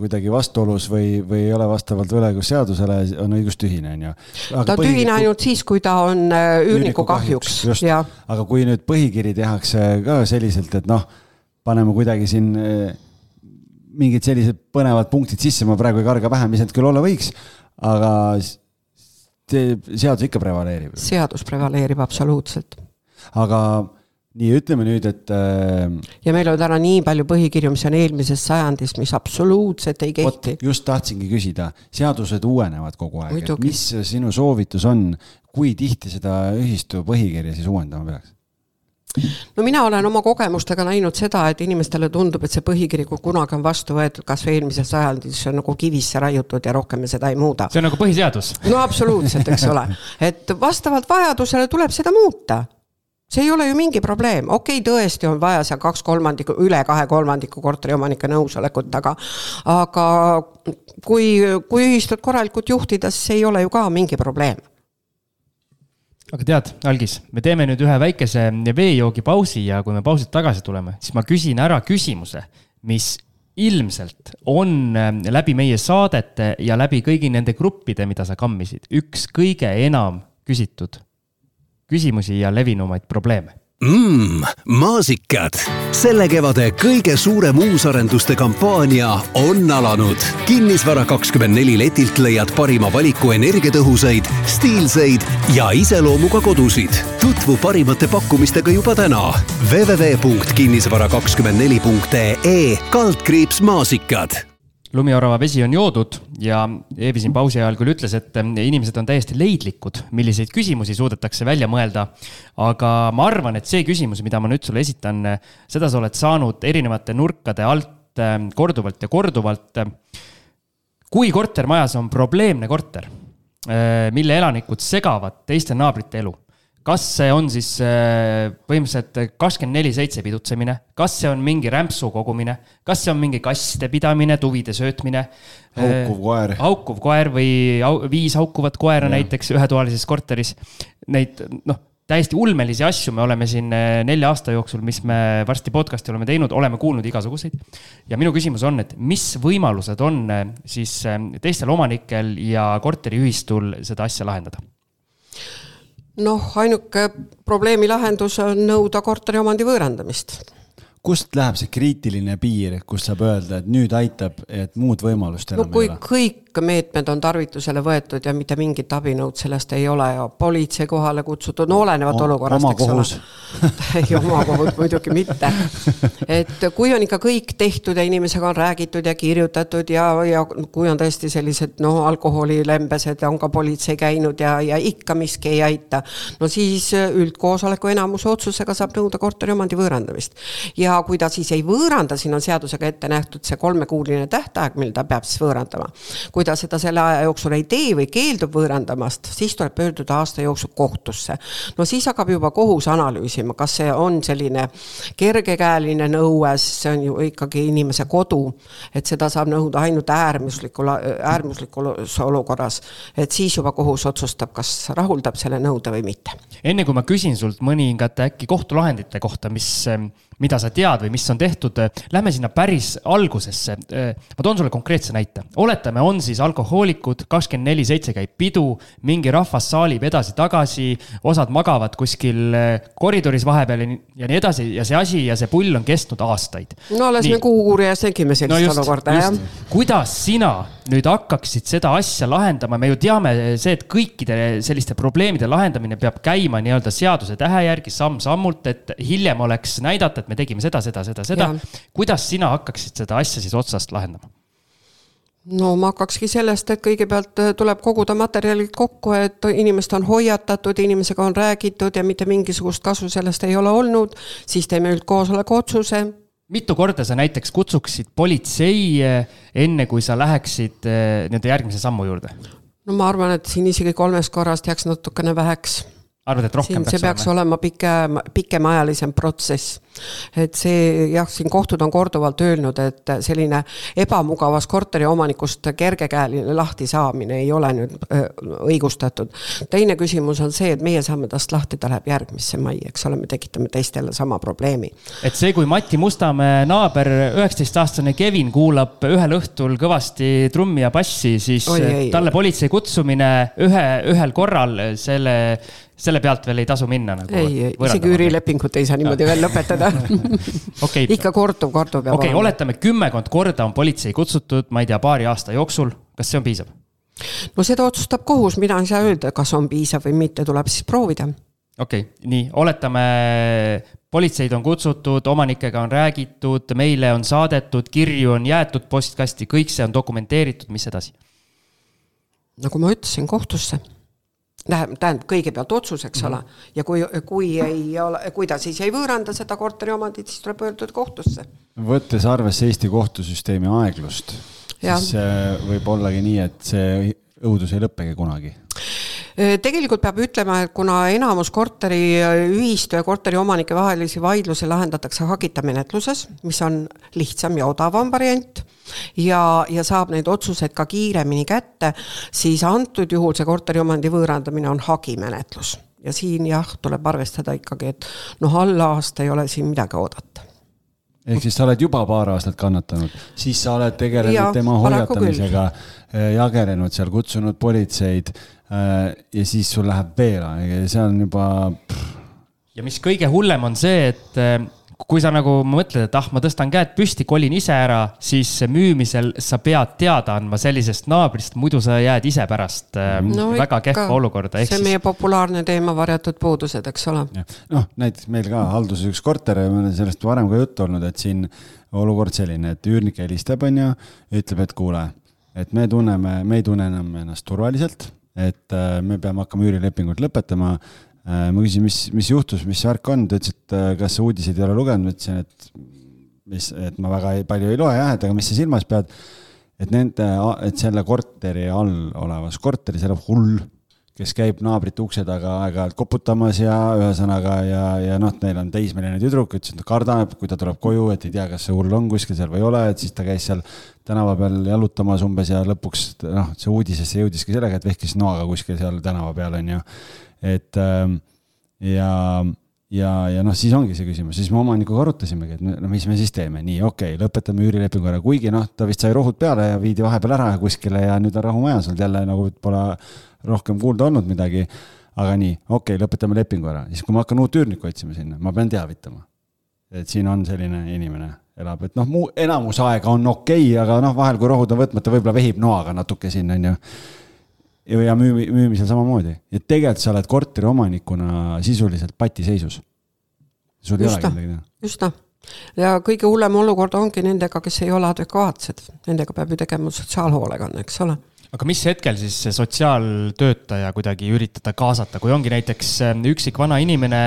kuidagi vastuolus või, või ei ole vastavalt võlaõigusseadusele, on õigustühine. On ju. Aga ta põhikiri... tühine ainult siis, kui ta on üürniku kahjuks. kahjuks. Ja. Aga kui nüüd põhikiri tehakse ka selliselt, et noh, paneme kuidagi siin mingid sellised põnevad punktid sisse, ma praegu ei karga pähe, mis need küll olla võiks, aga seadus ikka prevaleerib. Seadus prevaleerib absoluutselt. Aga nii ütleme nüüd, et... Ja meil on täna nii palju põhikirju, mis on eelmises sajandis, mis absoluutselt ei kehti. Ot, just tahtsingi küsida, seadused uuenevad kogu aeg. Mis sinu soovitus on, kui tihti seda ühistu põhikirja siis uuendama peaks? no mina olen oma kogemustega näinud seda, et inimestele tundub, et see põhikiri, kui kunagi on vastu võetud, kas või eelmises sajandis on nagu kivisse raiutud ja rohkem me seda ei muuda. See on nagu põhiseadus. No absoluutselt, eks ole. Et vastavalt vajadusele tuleb seda muuta. See ei ole ju mingi probleem. Okei, tõesti on vaja seal kaks kolmandiku, üle kahe kolmandiku korteriomanike nõusolekut, aga, aga kui, kui ühistut korralikult juhtida, siis ei ole ju ka mingi probleem. Aga tead, Algis, me teeme nüüd ühe väikese veejoogi pausi ja kui me pausilt tagasi tuleme, siis ma küsin ära küsimuse, mis ilmselt on läbi meie saadete ja läbi kõigi nende gruppide, mida sa kammisid, üks kõige enam küsitud küsimusi ja levinumaid probleeme. Mmm, maasikad. Selle kevade kõige suurem uusarenduste kampaania on alanud. Kinnisvara kakskümmend neli letilt leiad parima valiku energiatõhusaid, stiilseid ja iseloomuga kodusid. Tutvu parimate pakkumistega juba täna. w w w punkt kinnisvara kakskümmend neli punkt e e kaldkriips maasikad. Lumiorava vesi on joodud ja Eevi siin pausi ajal küll ütles, et inimesed on täiesti leidlikud, milliseid küsimusi suudetakse välja mõelda. Aga ma arvan, et see küsimus, mida ma nüüd sulle esitan, seda sa oled saanud erinevate nurkade alt korduvalt ja korduvalt. Kui kortermajas on probleemne korter, mille elanikud segavad teiste naabrite elu, kas see on siis põhimõtteliselt kakskümmend neli seitse pidutsemine, kas see on mingi rämpsu kogumine, kas see on mingi kasside pidamine, tuvide söötmine, haukuv koer, haukuv koer või viis haukuvat koera ja. Näiteks ühetoalises korteris. Neid noh, täiesti ulmelisi asju me oleme siin nelja aasta jooksul, mis me varsti podcasti oleme teinud, oleme kuulnud igasuguseid. Ja minu küsimus on, et mis võimalused on siis teistel omanikel ja korteriühistul seda asja lahendada? Noh, ainuke probleemi lahendus on nõuda korteriomandi võõrandamist. Kust läheb see kriitiline piir, kus saab öelda, et nüüd aitab, et muud võimalust enam no, kui ei ole? Kõik meetmed on tarvitusele võetud ja mitte mingit abinõud sellest ei ole ja politsei kohale kutsutud, no olenevat o, olukorrast, oma kohus. Ei, oma kohus muidugi mitte. Et kui on ikka kõik tehtud ja inimesega on räägitud ja kirjutatud ja, ja kui on tõesti sellised no, alkoholilembesed ja on ka politsei käinud ja, ja ikka miski ei aita, no siis üldkoosoleku enamuse otsusega saab nõuda korteriomandi võõrandamist. Ja kui ta siis ei võõranda, siin on seadusega ette nähtud see kolmekuuline tähtaeg, mil ta peab siis võõrandama. Kui ta seda selle aja jooksul ei tee või keeldub võõrandamast, siis tuleb pöörduda aasta jooksul kohtusse. No siis hakkab juba kohus analüüsima, kas see on selline kergekäeline nõues, see on ju ikkagi inimese kodu, et seda saab nõuda ainult äärmuslikul, äärmuslikus olukorras, et siis juba kohus otsustab, kas rahuldab selle nõude või mitte. Enne kui ma küsin sult mõningate äkki kohtulahendite kohta, mis, mida sa tead või mis on tehtud, lähme sinna päris algusesse. Ma toon sulle konkreetse näite. Oletame, on siis alkohoolikud, kakskümmend neli seitse käib pidu, mingi rahvas saalib edasi tagasi, osad magavad kuskil koridoris vahepeal ja nii edasi ja see asi ja see pull on kestnud aastaid. No alles nii. Me kuuuurijas tegime sellist no just, olukorda. Just. Kuidas sina nüüd hakkaksid seda asja lahendama? Me ju teame see, et kõikide selliste probleemide lahendamine peab käima nii-öelda seaduse tähe järgi samm-sammult, et hiljem oleks näidata, et me tegime seda, seda, seda, seda. Ja. Kuidas sina hakkaksid seda asja siis otsast lahendama? No ma hakkakski sellest, et kõigepealt tuleb koguda materjalid kokku, et inimest on hoiatatud, inimesega on räägitud ja mitte mingisugust kasu sellest ei ole olnud, siis teeme üldkoosoleku otsuse. Mitu korda sa näiteks kutsuksid politsei enne, kui sa läheksid nende järgmise sammu juurde? No ma arvan, et siin isegi kolmest korrast jääks natukene väheks. Arvad, et rohkem siin peaks see peaks olema, olema pikem, pikemaajalisem protsess. Et see, jah, siin kohtud on korduvalt öelnud, et selline ebamugavas korteri omanikust kergekäeline lahti saamine ei ole nüüd õigustatud. Teine küsimus on see, et meie saame tast lahti, ta läheb järgmisse mai, eks ole, me tekitame teistele sama probleemi. Et see, kui Mati Mustamäe naaber üheksateist-aastane Kevin kuulab ühel õhtul kõvasti trummi ja bassi, siis Oi, ei, talle politsei kutsumine ühe, ühel korral selle selle pealt veel ei tasu minna. Nagu ei, isegi üürilepingut ei saa niimoodi veel lõpetada. okay. Ikka korduv, korduv. Okei, okay, oletame kümmekond korda on politsei kutsutud, ma ei tea, paari aasta jooksul. Kas see on piisav? No seda otsustab kohus, mina ei saa öelda, kas on piisav või mitte, tuleb siis proovida. Okei, okay, nii, oletame politseid on kutsutud, omanikega on räägitud, meile on saadetud, kirju on jäetud postkasti, kõik see on dokumenteeritud, mis edasi? Nagu ma ütlesin, kohtusse. tähendab kõigepealt otsus, eks ole, ja kui, kui, ei ole, kui ta siis ei võõranda seda korteri omandit, siis tuleb pöörduda kohtusse. Võttes arvesse Eesti kohtusüsteemi aeglust, ja. siis võib ollagi nii, et see õudus ei lõppegi kunagi. Tegelikult peab ütlema, et kuna enamus korteri ühistu ja korteri omanike vahelisi vaidlusi lahendatakse hagita menetluses, mis on lihtsam ja odavam variant ja, ja saab neid otsuseid ka kiiremini kätte, siis antud juhul see korteri omandi võõrandamine on hagimenetlus. Ja siin jah, tuleb arvestada ikkagi, et noh, alla aasta ei ole siin midagi oodata. Ehk siis sa oled juba paar aastat kannatanud, siis sa oled tegelenud ja, tema hoiatamisega, jagelenud seal, kutsunud politseid ja siis sul läheb veel, see on juba... Ja mis kõige hullem on see, et kui sa nagu mõtled, et ah, ma tõstan käed püsti, kolin ise ära, siis müümisel sa pead teada andma sellisest naabrist, muidu sa jääd ise pärast no, väga kehva olukorda. See on meie populaarne teema varjatud puudused, eks ole. Noh, näiteks meil ka halduses üks korter, meil on sellest varem ka juttu olnud, et siin olukord selline, et üürnik helistab on ja ütleb, et kuule, et me tunneme, me ei tunne enam ennast turvaliselt, et me peame hakkama üürilepingut lõpetama. Ma küsin, mis, mis juhtus, mis värk on, ta ütles, et kas sa uudiseid ei ole lugenud, ütlesin, et, mis, et ma väga ei, palju ei loe, jah, et aga mis sa silmas pead, et, nende, et selle korteri all olevas korteris elab hull, kes käib naabrite ukse taga aeg-ajalt koputamas ja ühesõnaga ja, ja noh, neil on teismeline tüdruk, ütles, et ta kardab, kui ta tuleb koju, et ei tea, kas see hull on kuskil seal või ei ole, et siis ta käis seal tänava peal jalutamas umbes ja lõpuks noh, see uudisesse jõudiski sellega, et vehkis noaga kuskil seal tänava peal on ju. Et ja, ja, ja noh, siis ongi see küsimus, siis me omanikuga arutasimegi, et no, mis me siis teeme, nii okei, okay, lõpetame üürilepingu ära, kuigi noh, ta vist sai rohud peale ja viidi vahepeal ära kuskile ja nüüd on rahumajas olnud jälle nagu pole rohkem kuulda olnud midagi, aga nii, okei okay,, lõpetame lepingu ära, siis kui ma hakkan uut üürnikku otsima sinna, ma pean teavitama, et siin on selline inimene elab, et noh, muu enamus aega on okei, okay, aga noh, vahel kui rohud on võtmata, võib-olla vehib noaga natuke sinna on ju ja müümi, müümisel samamoodi. Ja tegelikult sa oled korteri omanikuna sisuliselt patiseisus. Sul ei ole midagi teha. Just no. Ja kõige hullem olukord ongi nendega, kes ei ole adekvaatsed. Nendega peab ju tegema sotsiaalhoolekanne, eks ole. Aga mis hetkel siis sotsiaaltöötaja kuidagi üritada kaasata, kui ongi näiteks üksik vana inimene,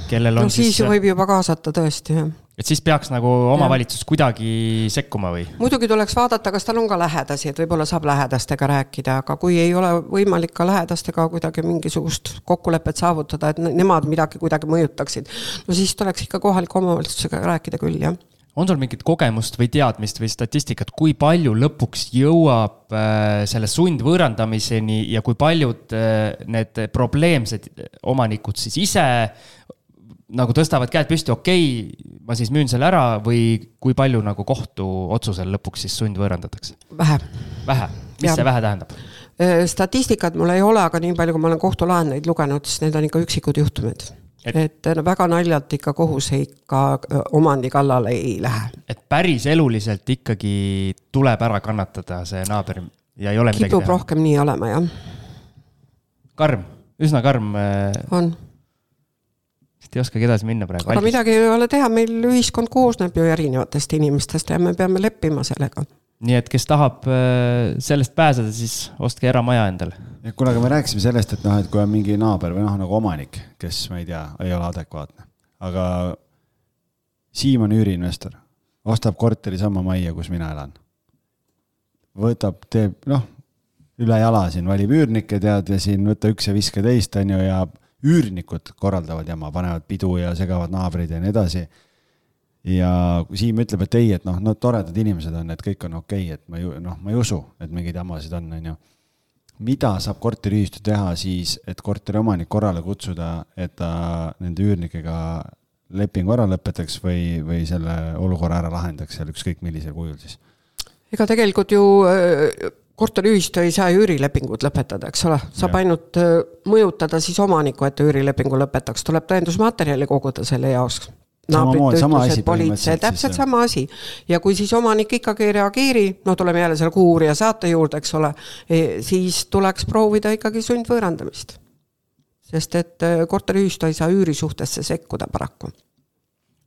kellel on no, siis... siis võib juba kaasata tõesti, jah. Et siis peaks nagu omavalitsus ja. Kuidagi sekkuma või? Muidugi tuleks vaadata, kas tal on ka lähedasi, et võib-olla saab lähedastega rääkida, aga kui ei ole võimalik ka lähedastega kuidagi mingisugust kokkulepet saavutada, et nemad midagi kuidagi mõjutaksid, no siis tuleks ikka kohaliku omavalitsusega rääkida küll, jah. On sul mingit kogemust või teadmist või statistikat, kui palju lõpuks jõuab selle sundvõõrandamiseni ja kui paljud need probleemsed omanikud siis ise nagu tõstavad käed püsti, okei, okay, ma siis müün selle ära või kui palju nagu kohtu otsusel lõpuks siis sundvõõrandatakse? Vähe. Vähe? Mis ja. See vähe tähendab? Statistikat mul ei ole, aga nii palju, kui ma olen kohtulahendeid lugenud, siis need on ikka üksikud juhtumid. Et, et no, väga naljalt ikka kohus ikka omandi kallale ei lähe. Et päris eluliselt ikkagi tuleb ära kannatada see naaber ja ei ole midagi Kipub teha? Kipub rohkem nii olema, jah. Karm, üsna karm. On. Ei oskagi edasi minna praegu. Aga midagi ei ole teha, meil ühiskond koosneb ju erinevatest inimestest ja me peame leppima sellega. Nii et kes tahab sellest pääseda, siis ostke eramaja endale. Ja kuna me rääkisime sellest, et, noh, et kui on mingi naaber või noh, nagu omanik, kes, ma ei tea, ei ole adekvaatne. Aga Siim on üüriinvestor, ostab korteri sama majja, kus mina elan. Võtab, teeb, noh, üle jala siin valib üürnikke, tead, ja siin võtta üks ja viske teist, on ju, ja üürnikud korraldavad jama, panevad pidu ja segavad naabrid ja nii edasi. Ja Siim ütleb, et ei, et noh, no toredad inimesed on, et kõik on okei, et ma, ju, noh, ma ei usu, et mingid jamasid on, on ju. Mida saab korteriühistu teha siis, et korteri omanik korrale kutsuda, et ta nende üürnikega lepingu ära lõpetaks või, või selle olukorra ära lahendaks seal ükskõik millisel kujul siis? Ega tegelikult ju korteriühistu ei saa üürilepingut lõpetada, eks ole. Saab ja. Ainult mõjutada siis omaniku, et üürilepingu lõpetaks. Tuleb tõendusmaterjali koguda selle jaoks. Naabrid ütlused, politsei, täpselt sama asi. Ja kui siis omanik ikkagi ei reageeri, no tuleme jälle selle kuurija saate juurde, eks ole, siis tuleks proovida ikkagi sundvõõrandamist. Sest et korteriühistu ei saa üürisuhtesse sekkuda paraku.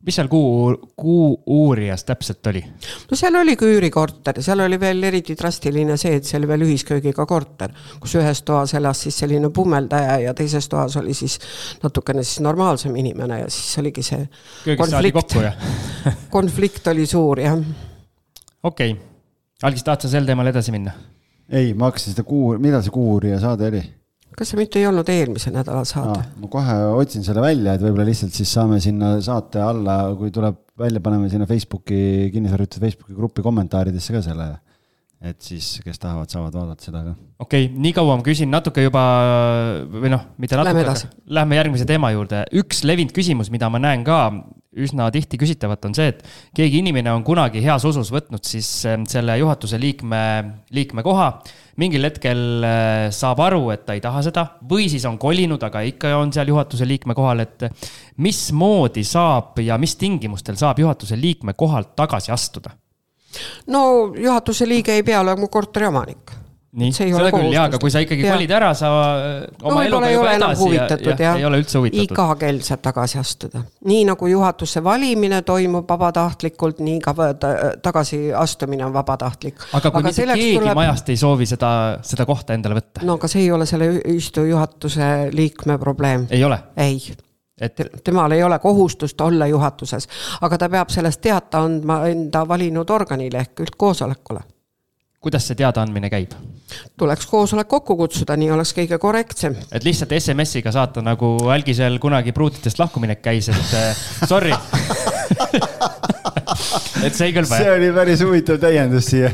mis seal kuu, kuu uurijas täpselt oli? No seal oli küürikorter, seal oli veel eriti drastiline see, et see oli veel ühisköögiga korter, kus ühes toas elas siis selline pummeldaja ja teises toas oli siis natukene siis normaalsem inimene ja siis oligi see Köögis konflikt. Kokku, ja? konflikt oli suur, jah. Okei. Okay. Algis, tahad sa sel teemal edasi minna? Ei, ma hakkasin seda kuu, mida see kuu uurija saade oli? Kas see mitte ei olnud eelmise nädala saade? Aa, ma kohe otsin selle välja, et võib-olla lihtsalt siis saame sinna saate alla, kui tuleb välja, paneme sinna Facebooki, kinnisvarjutud Facebooki gruppi kommentaaridesse ka selle, et siis, kes tahavad, saavad vaadata seda ka. Okei, okay, nii kaua ma küsin natuke juba, või noh, mitte natuke, lähme, lähme järgmise teema juurde. Üks levinud küsimus, mida ma näen ka üsna tihti küsitavat, on see, et keegi inimene on kunagi heas usus võtnud siis selle juhatuse liikme, liikme koha, mingil hetkel saab aru, et ta ei taha seda, või siis on kolinud, aga ikka on seal juhatuse liikme kohal, et mis moodi saab ja mis tingimustel saab juhatuse liikme kohalt tagasi astuda? No juhatuse liige ei pea olema korteri omanik. Nii, seda küll, jaa, aga kui sa ikkagi kolid ära, sa oma no, eluga juba edasi ja, ja, ja ei ole üldse huvitatud. Iga kell saab tagasi astuda. Nii nagu juhatuse valimine toimub vabatahtlikult, nii ka tagasi astumine on vabatahtlik. Aga kui aga mitte keegi tuleb... majast ei soovi seda, seda kohta endale võtta? No aga see ei ole selle ühistu juhatuse liikme probleem. Ei ole? Ei. Et... Temal ei ole kohustust olla juhatuses, aga ta peab sellest teata andma enda valinud organile ehk üldkoosolekule. Kuidas see teada andmine käib? Tuleks koosolek kokku kutsuda, nii oleks kõige korrektsem. Et lihtsalt S M S-iga saata, nagu Algisel kunagi pruutitest lahkuminek käis, et sorry. et see ei kõlba. See oli päris huvitav täiendus siia.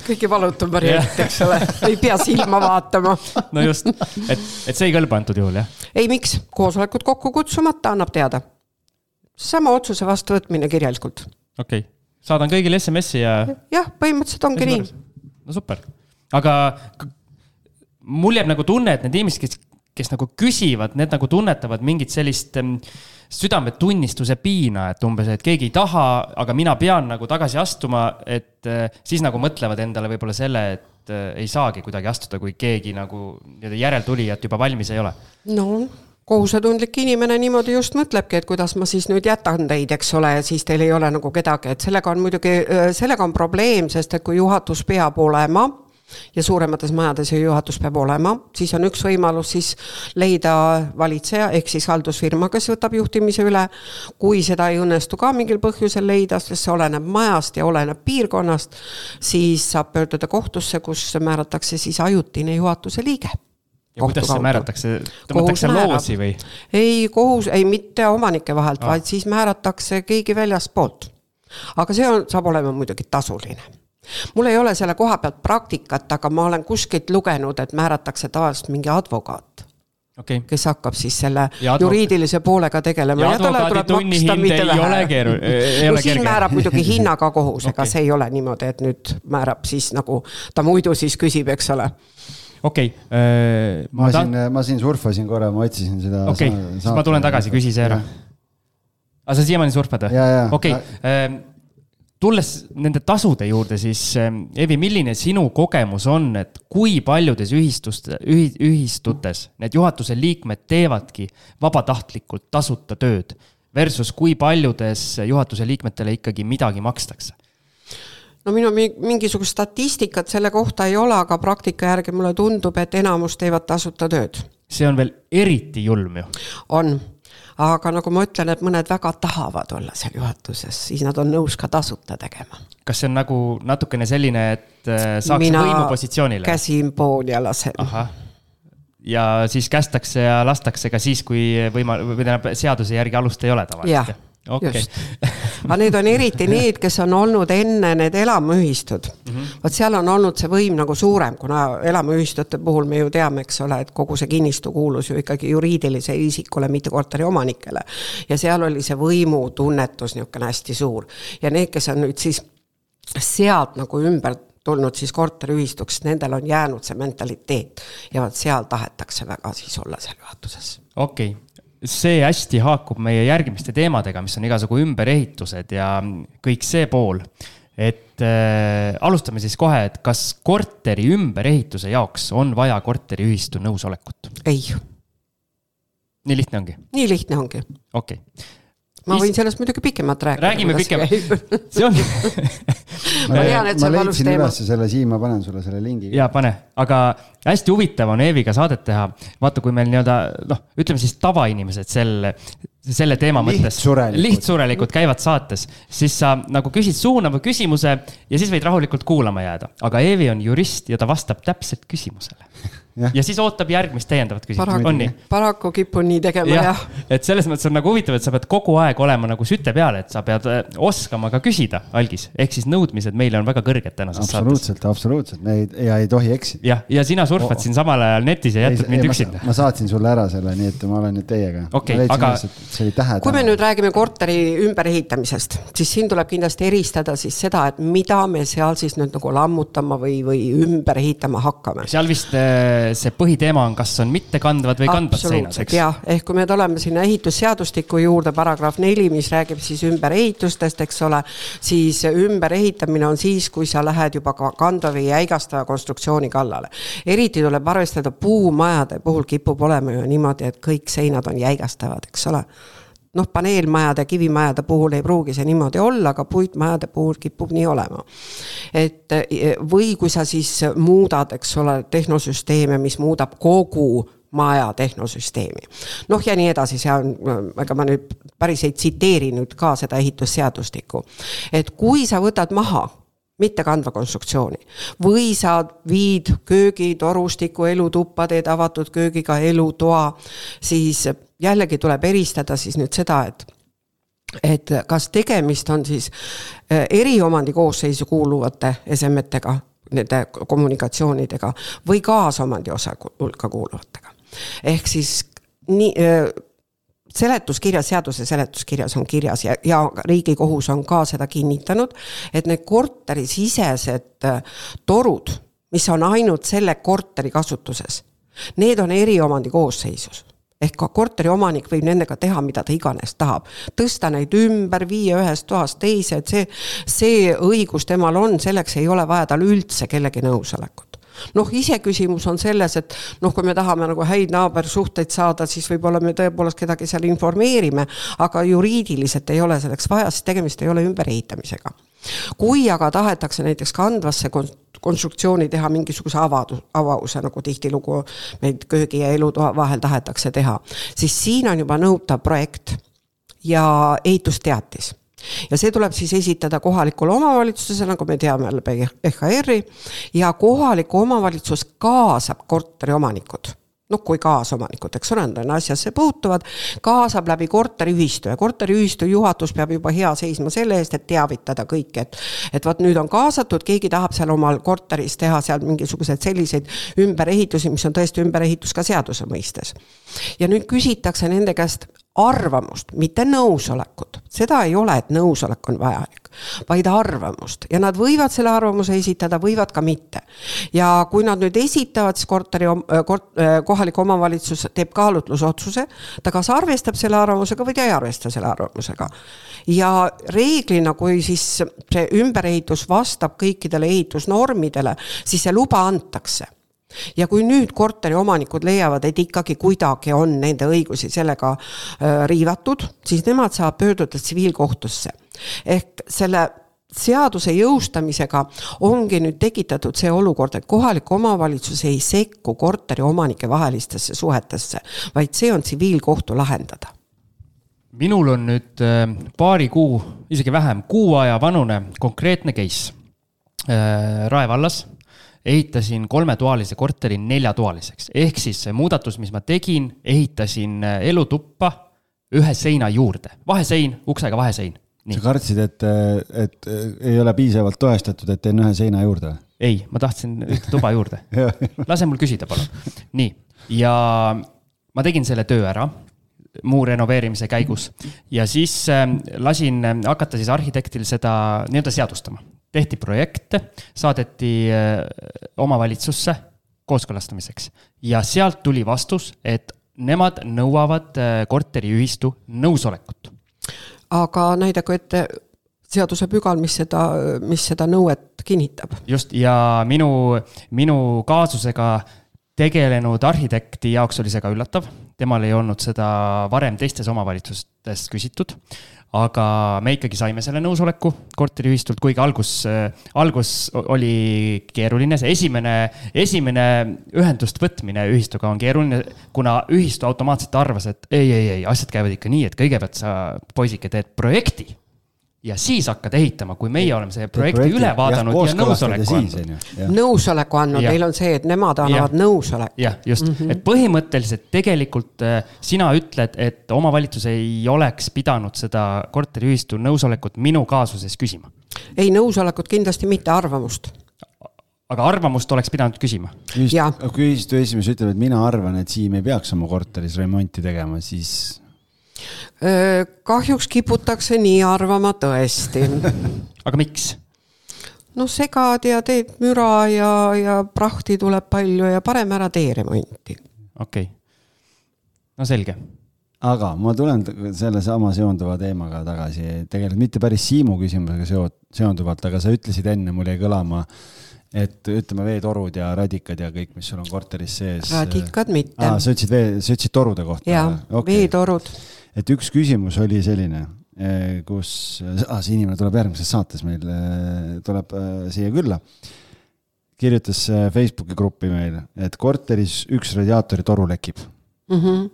Kõige valutum variant, eks ole. Ei pea silma vaatama. no just, et, et see ei kõlba antud juhul, jah? Ei, miks? Koosolekut kokku kutsumata annab teada. Sama otsuse vastu võtmine kirjalikult. Okei. Okay. Saadan kõigile S M S-i ja... Jah, põhimõtteliselt ongi nii. No super. Aga mul jääb nagu tunne, et need inimesed, kes, kes nagu küsivad, need nagu tunnetavad mingit sellist südametunnistuse piina, et umbes, et keegi ei taha, aga mina pean nagu tagasi astuma, et siis nagu mõtlevad endale võib-olla selle, et ei saagi kuidagi astuda, kui keegi nagu järeltulijat juba valmis ei ole. No, kohusetundlik inimene niimoodi just mõtlebki, et kuidas ma siis nüüd jätan teid, eks ole, ja siis teil ei ole nagu kedagi, et sellega on muidugi, sellega on probleem, sest et kui juhatus peab olema ja suuremates majades juhatus peab olema, siis on üks võimalus siis leida valitseja, ehk siis haldusfirma, kes võtab juhtimise üle. Kui seda ei õnnestu ka mingil põhjusel leida, sest see oleneb majast ja oleneb piirkonnast, siis saab pöörduda kohtusse, kus määratakse siis ajutine juhatuse liige. Ja kuidas see määratakse? Tõmmatakse loosi või? Ei, kohus, ei mitte omanike vahelt, ah. vaid siis määratakse keegi väljast poolt. Aga see on, saab olema muidugi tasuline. Mul ei ole selle koha pealt praktikat, aga ma olen kuskilt lugenud, et määratakse tavaliselt mingi advokaat, okay. kes hakkab siis selle advoka... juriidilise poolega tegelema. Ja, ja advokaadi tunnihind ei vähe. ole keeru. Ei no ole siin kerge. määrab muidugi hinnaga kohus, okay. ega see ei ole niimoodi, et nüüd määrab siis nagu ta muidu siis küsib, eks ole. Okei. Okay. Ma, ta... ma siin surfasin korra, ma otsisin seda. Okei, okay. siis ma tulen tagasi, küsi see ära. Aga sa siiamaani surfad? Okei. Okay. Tulles nende tasude juurde, siis Evi, milline sinu kogemus on, et kui paljudes ühi, ühistutes need juhatuse liikmed teevadki vabatahtlikult tasuta tööd versus kui paljudes juhatuse liikmetele ikkagi midagi makstakse? No minu mingisugust statistikat selle kohta ei ole, aga praktika järgi mulle tundub, et enamus teevad tasuta tööd. See on veel eriti julm ju. On, aga nagu ma ütlen, et mõned väga tahavad olla seal juhatuses, siis nad on nõus ka tasuta tegema. Kas see on nagu natukene selline, et saaks Mina võimupositsioonile? Mina käsin pool ja lasen. Aha. Ja siis kästakse ja lastakse ka siis, kui võima, või seaduse järgi alust ei ole tavaliselt. Jah. Okay. Just. Aga need on eriti need, kes on olnud enne need elamuühistud. Mm-hmm. Vaat seal on olnud see võim nagu suurem, kuna elamuühistute puhul me ju teame, eks ole, et kogu see kinnistu kuulus ju ikkagi juriidilise isikule, mitte korteri omanikele. Ja seal oli see võimu tunnetus niisugune hästi suur. Ja need, kes on nüüd siis sealt nagu ümber tulnud siis korteriühistuks, nendel on jäänud see mentaliteet ja vaat seal tahetakse väga siis olla seal juhatuses. Okei. Okay. See hästi haakub meie järgmiste teemadega, mis on igasugu ümberehitused ja kõik see pool. Et äh, alustame siis kohe, et kas korteri ümberehituse jaoks on vaja korteriühistu nõusolekut? Ei. Nii lihtne ongi? Nii lihtne ongi. Okei. Okay. ma võin sellest muidugi pikemalt rääkida. Räägime pikemalt. See on... ma tean, et ma see valus leidsin teema. üles selle siin, ma panen sulle selle lingi. Jaa, pane. Aga hästi huvitav on Eeviga saadet teha. Vaata, kui meil nii-öelda, noh, ütleme siis tavainimesed selle, selle teema mõttes lihtsurelikult käivad saates, siis sa nagu küsid suunava küsimuse ja siis võid rahulikult kuulama jääda. Aga Eevi on jurist ja ta vastab täpselt küsimusele. Ja. ja siis ootab järgmist täiendavat küsimust. Paraku, paraku kipun nii tegema, jah. jah. Et selles mõttes on nagu huvitav, et sa pead kogu aeg olema nagu süte peale, et sa pead oskama ka küsida, Algis. Ehk siis nõudmised meile on väga kõrged tänases absoluutselt, saates. Absoluutselt, absoluutselt. Ja ei tohi eksida. Ja, ja sina surfad oh. siin samal ajal netis ja jätud mind üksinda. Ma saatsin sulle ära selle, nii et ma olen nüüd teiega. Okay, aga... see tähe, kui me nüüd räägime korteri ümberehitamisest, siis siin tuleb kindlasti eristada siis seda, et mida me seal siis nüüd nagu lammutama või, või ümber ehitama hakkame. Seal vist see põhiteema on, kas on mitte kandvad või kandvad seinad, eks? Jah, ehk kui me oleme sinna ehitusseadustiku juurde, paragraaf neli, mis räägib siis ümberehitustest, eks ole, siis ümberehitamine on siis, kui sa lähed juba kandva või jäigastava konstruktsiooni kallale. Eriti tuleb arvestada puumajade puhul kipub olema ju niimoodi, et kõik seinad on jäigastavad, eks ole. Noh, paneelmajade, kivimajade puhul ei pruugi see niimoodi olla, aga puitmajade puhul kipub nii olema. Et, või kui sa siis muudad, eks ole, tehnosüsteeme, mis muudab kogu maja tehnosüsteemi. Noh ja nii edasi, see on, ega ma nüüd päris ei tsiteeri nüüd ka seda ehitusseadustikku. Et kui sa võtad maha mitte kandva konstruktsiooni. Või sa viid köögi, torustiku, elutuppa, teed avatud köögiga elutoa, siis jällegi tuleb eristada siis nüüd seda, et, et kas tegemist on siis eriomandi koosseisu kuuluvate esemetega, nende kommunikatsioonidega või kaasomandi osa hulka kuuluvatega. Ehk siis nii... Seletuskirjas, seaduse seletuskirjas on kirjas ja, ja Riigikohus on ka seda kinnitanud, et need korteri sisesed torud, mis on ainult selle korteri kasutuses, need on eriomandi koosseisus. Ehk ka korteri omanik võib nendega teha, mida ta iganes tahab. Tõsta neid ümber, viia ühest toast teise, et see, see õigus temal on, selleks ei ole vaja tal üldse kellegi nõusolekut. Noh, ise küsimus on selles, et noh, kui me tahame nagu häid naabersuhteid saada, siis võib-olla me tõepoolest kedagi seal informeerime, aga juriidiliselt ei ole selleks vaja, siis tegemist ei ole ümberehitamisega. Kui aga tahetakse näiteks kandvasse konstruktsiooni teha mingisuguse avadus, avause, nagu tihtilugu meid köögi ja elutoa vahel tahetakse teha, siis siin on juba nõutav projekt ja ehitusteatis. Ja see tuleb siis esitada kohalikule omavalitsusele, nagu me teame läbi E H R-i, ja kohaliku omavalitsus kaasab korteri omanikud. No kui kaasomanikud, eks ole, on asjasse puutuvad, kaasab läbi korteriühistu ja korteriühistu juhatus peab juba hea seisma selle eest, et teavitada kõik, et, et vaat nüüd on kaasatud, keegi tahab seal omal korteris teha seal mingisugused selliseid ümberehitusi, mis on tõesti ümberehitus ka seaduse mõistes. Ja nüüd küsitakse nende käest arvamust, mitte nõusolekut. Seda ei ole, et nõusolek on vajalik, vaid arvamust. Ja nad võivad selle arvamuse esitada, võivad ka mitte. Ja kui nad nüüd esitavad, siis korteri, kort, kohalik omavalitsus teeb kaalutlusotsuse, ta kas arvestab selle arvamusega või ta ei arvesta selle arvamusega. Ja reeglina, kui siis see ümberehitus vastab kõikidele ehitusnormidele, siis see luba antakse. Ja kui nüüd korteri omanikud leiavad, et ikkagi kuidagi on nende õigusi sellega riivatud, siis nemad saab pöörduda tsiviilkohtusse. Ehk selle seaduse jõustamisega ongi nüüd tekitatud see olukord, et kohalik omavalitsus ei sekku korteri omanike vahelistesse suhetesse, vaid see on tsiviilkohtu lahendada. Minul on nüüd paari kuu, isegi vähem, kuu aja vanune konkreetne case. Rae vallas ehitasin kolmetoalise korteri neljatoaliseks. Ehk siis see muudatus, mis ma tegin, ehitasin elutuppa ühe seina juurde. Vahesein, uksega vahesein. Nii. Sa kartsid, et, et ei ole piisavalt toestatud, et teen ühe seina juurde? Ei, ma tahtsin ühte tuba juurde. Lase mul küsida, palun. Nii, ja ma tegin selle töö ära muu renoveerimise käigus ja siis lasin hakata siis arhitektil seda nii-öelda seadustama. Tehti projekte, saadeti omavalitsusse kooskõlastamiseks ja sealt tuli vastus, et nemad nõuavad korteriühistu nõusolekut. Aga näidaku ette seaduse pügal, mis seda, mis seda nõuet kinnitab. Just, ja minu, minu kaasusega tegelenud arhitekti jaoks oli see ka üllatav. temal ei olnud seda varem teistes omavalitsustes küsitud, aga me ikkagi saime selle nõusoleku korteriühistult, kuigi algus, algus oli keeruline. See esimene, esimene ühendust võtmine ühistuga on keeruline, kuna ühistu automaatselt arvas, et ei, ei, ei, asjad käivad ikka nii, et kõigepealt sa poisike teed projekti ja siis hakkad ehitama, kui meie oleme see projekti, projekti üle vaadanud ja, ja nõusoleku andnud. Nõusoleku andnud, neil on see, et nemad annavad nõusoleku. Jah, just. Mm -hmm. Et põhimõtteliselt tegelikult sina ütled, et omavalitsus ei oleks pidanud seda korteriühistu nõusolekut minu kaasuses küsima. Ei, nõusolekut kindlasti mitte, arvamust. Aga arvamust oleks pidanud küsima. Just, kui ühistu esimees ütleb, et mina arvan, et Siim ei peaks oma korteris remonti tegema, siis... Kahjuks kiputakse nii arvama tõesti. Aga miks? No segad ja teed müra ja, ja prahti tuleb palju ja parem ära tee remonti. Okei. Okay. No selge. Aga ma tulen selle sama seonduva teemaga tagasi. Tegelikult mitte päris Siimu küsimusega seonduvalt, aga sa ütlesid enne, mul jäi kõlama, et ütleme veetorud ja radikad ja kõik, mis sul on korteris sees. Radikad mitte. Aa, sa ütlesid, vee, sa ütlesid torude kohta? Jaa, okay. Veetorud. Et üks küsimus oli selline, kus ah, see inimene tuleb järgmises saates meil, tuleb siia külla, kirjutas Facebooki gruppi meil, et korteris üks radiaatori toru lekib. Mm-hmm.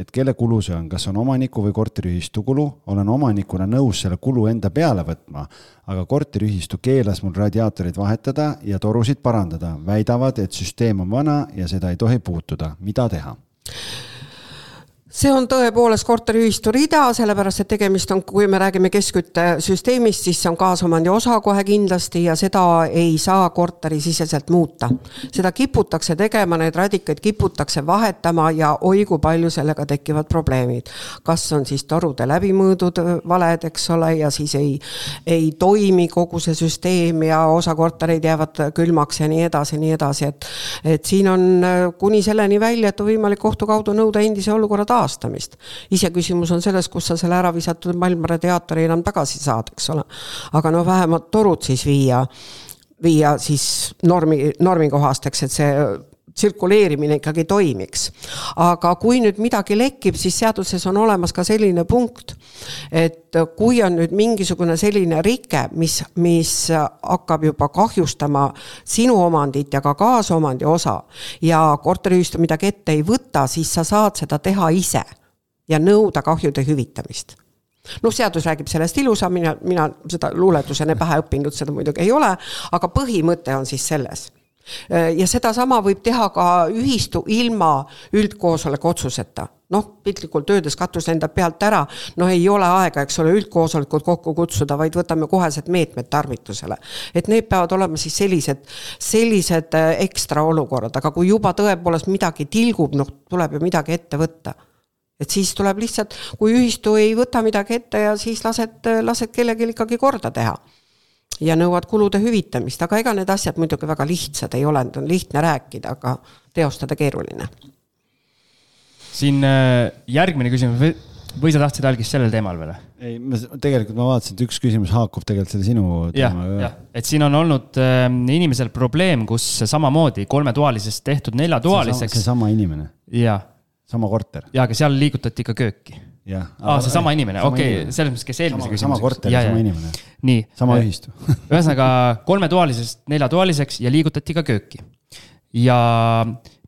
Et kelle kulu see on, kas on omaniku või korteriühistu kulu, olen omanikuna nõus selle kulu enda peale võtma, aga korteriühistu keelas mul radiaatorid vahetada ja torusid parandada, väidavad, et süsteem on vana ja seda ei tohi puutuda. Mida teha? See on tõepoolest korteriühistu rida, sellepärast, et tegemist on, kui me räägime keskküttesüsteemist, siis see on kaasomandi osa kohe kindlasti ja seda ei saa korteri siseselt muuta. Seda kiputakse tegema, need radikaid kiputakse vahetama ja oi kui palju sellega tekivad probleemid. Kas on siis torude läbimõõdud valed, eks ole, ja siis ei, ei toimi kogu see süsteem ja osa kortereid jäävad külmaks ja nii edasi, nii edasi. Et, et siin on kuni selleni välja, et on võimalik kohtu kaudu nõuda endise olukorra taastamist. Ise küsimus on selles, kus sa selle ära visatud maailmaradiaatori enam tagasi saad, eks ole. Aga no vähemalt torud siis viia, viia siis normi, normikohasteks, et see tsirkuleerimine ikkagi toimiks. Aga kui nüüd midagi lekib, siis seaduses on olemas ka selline punkt, et kui on nüüd mingisugune selline rike, mis, mis hakkab juba kahjustama sinu omandit ja ka kaasomandi osa ja korteriühistu midagi ette ei võta, siis sa saad seda teha ise ja nõuda kahjude hüvitamist. No seadus räägib sellest ilusa, mina, mina seda luuletusene pähe õppinud, seda muidugi ei ole, aga põhimõte on siis selles. Ja seda sama võib teha ka ühistu ilma üldkoosoleku otsuseta. Noh, piltlikult töödes katus lendab pealt ära, no ei ole aega, eks ole, üldkoosolekut kokku kutsuda, vaid võtame kohesed meetmed tarvitusele. Et need peavad olema siis sellised, sellised ekstra olukorrad, aga kui juba tõepoolest midagi tilgub, noh, tuleb ju midagi ette võtta. Et siis tuleb lihtsalt, kui ühistu ei võta midagi ette ja siis lased, lased kellelgi ikkagi korda teha. Ja nõuad kulude hüvitamist, aga ega need asjad muidugi väga lihtsad ei ole, on lihtne rääkida, aga teostada keeruline. Siin järgmine küsimus, või sa tahtsid algist sellel teemal veel? Ei, tegelikult ma vaatasin, et üks küsimus haakub tegelikult selle sinu teema. Ja, ja. Et siin on olnud äh, inimesel probleem, kus samamoodi kolmetoalisest tehtud neljatoaliseks. See sama inimene? Ja. Sama korter? Ja, aga seal liigutati ka kööki. Ja. Aa, see sama inimene, okei, okay, selles mõttes, kes eelmise küsimuseks. Sama korter ja sama inimene. Nii. Sama ühistu. Ühesõnaga kolmetoalisest neljatoaliseks ja liigutati ka kööki. Ja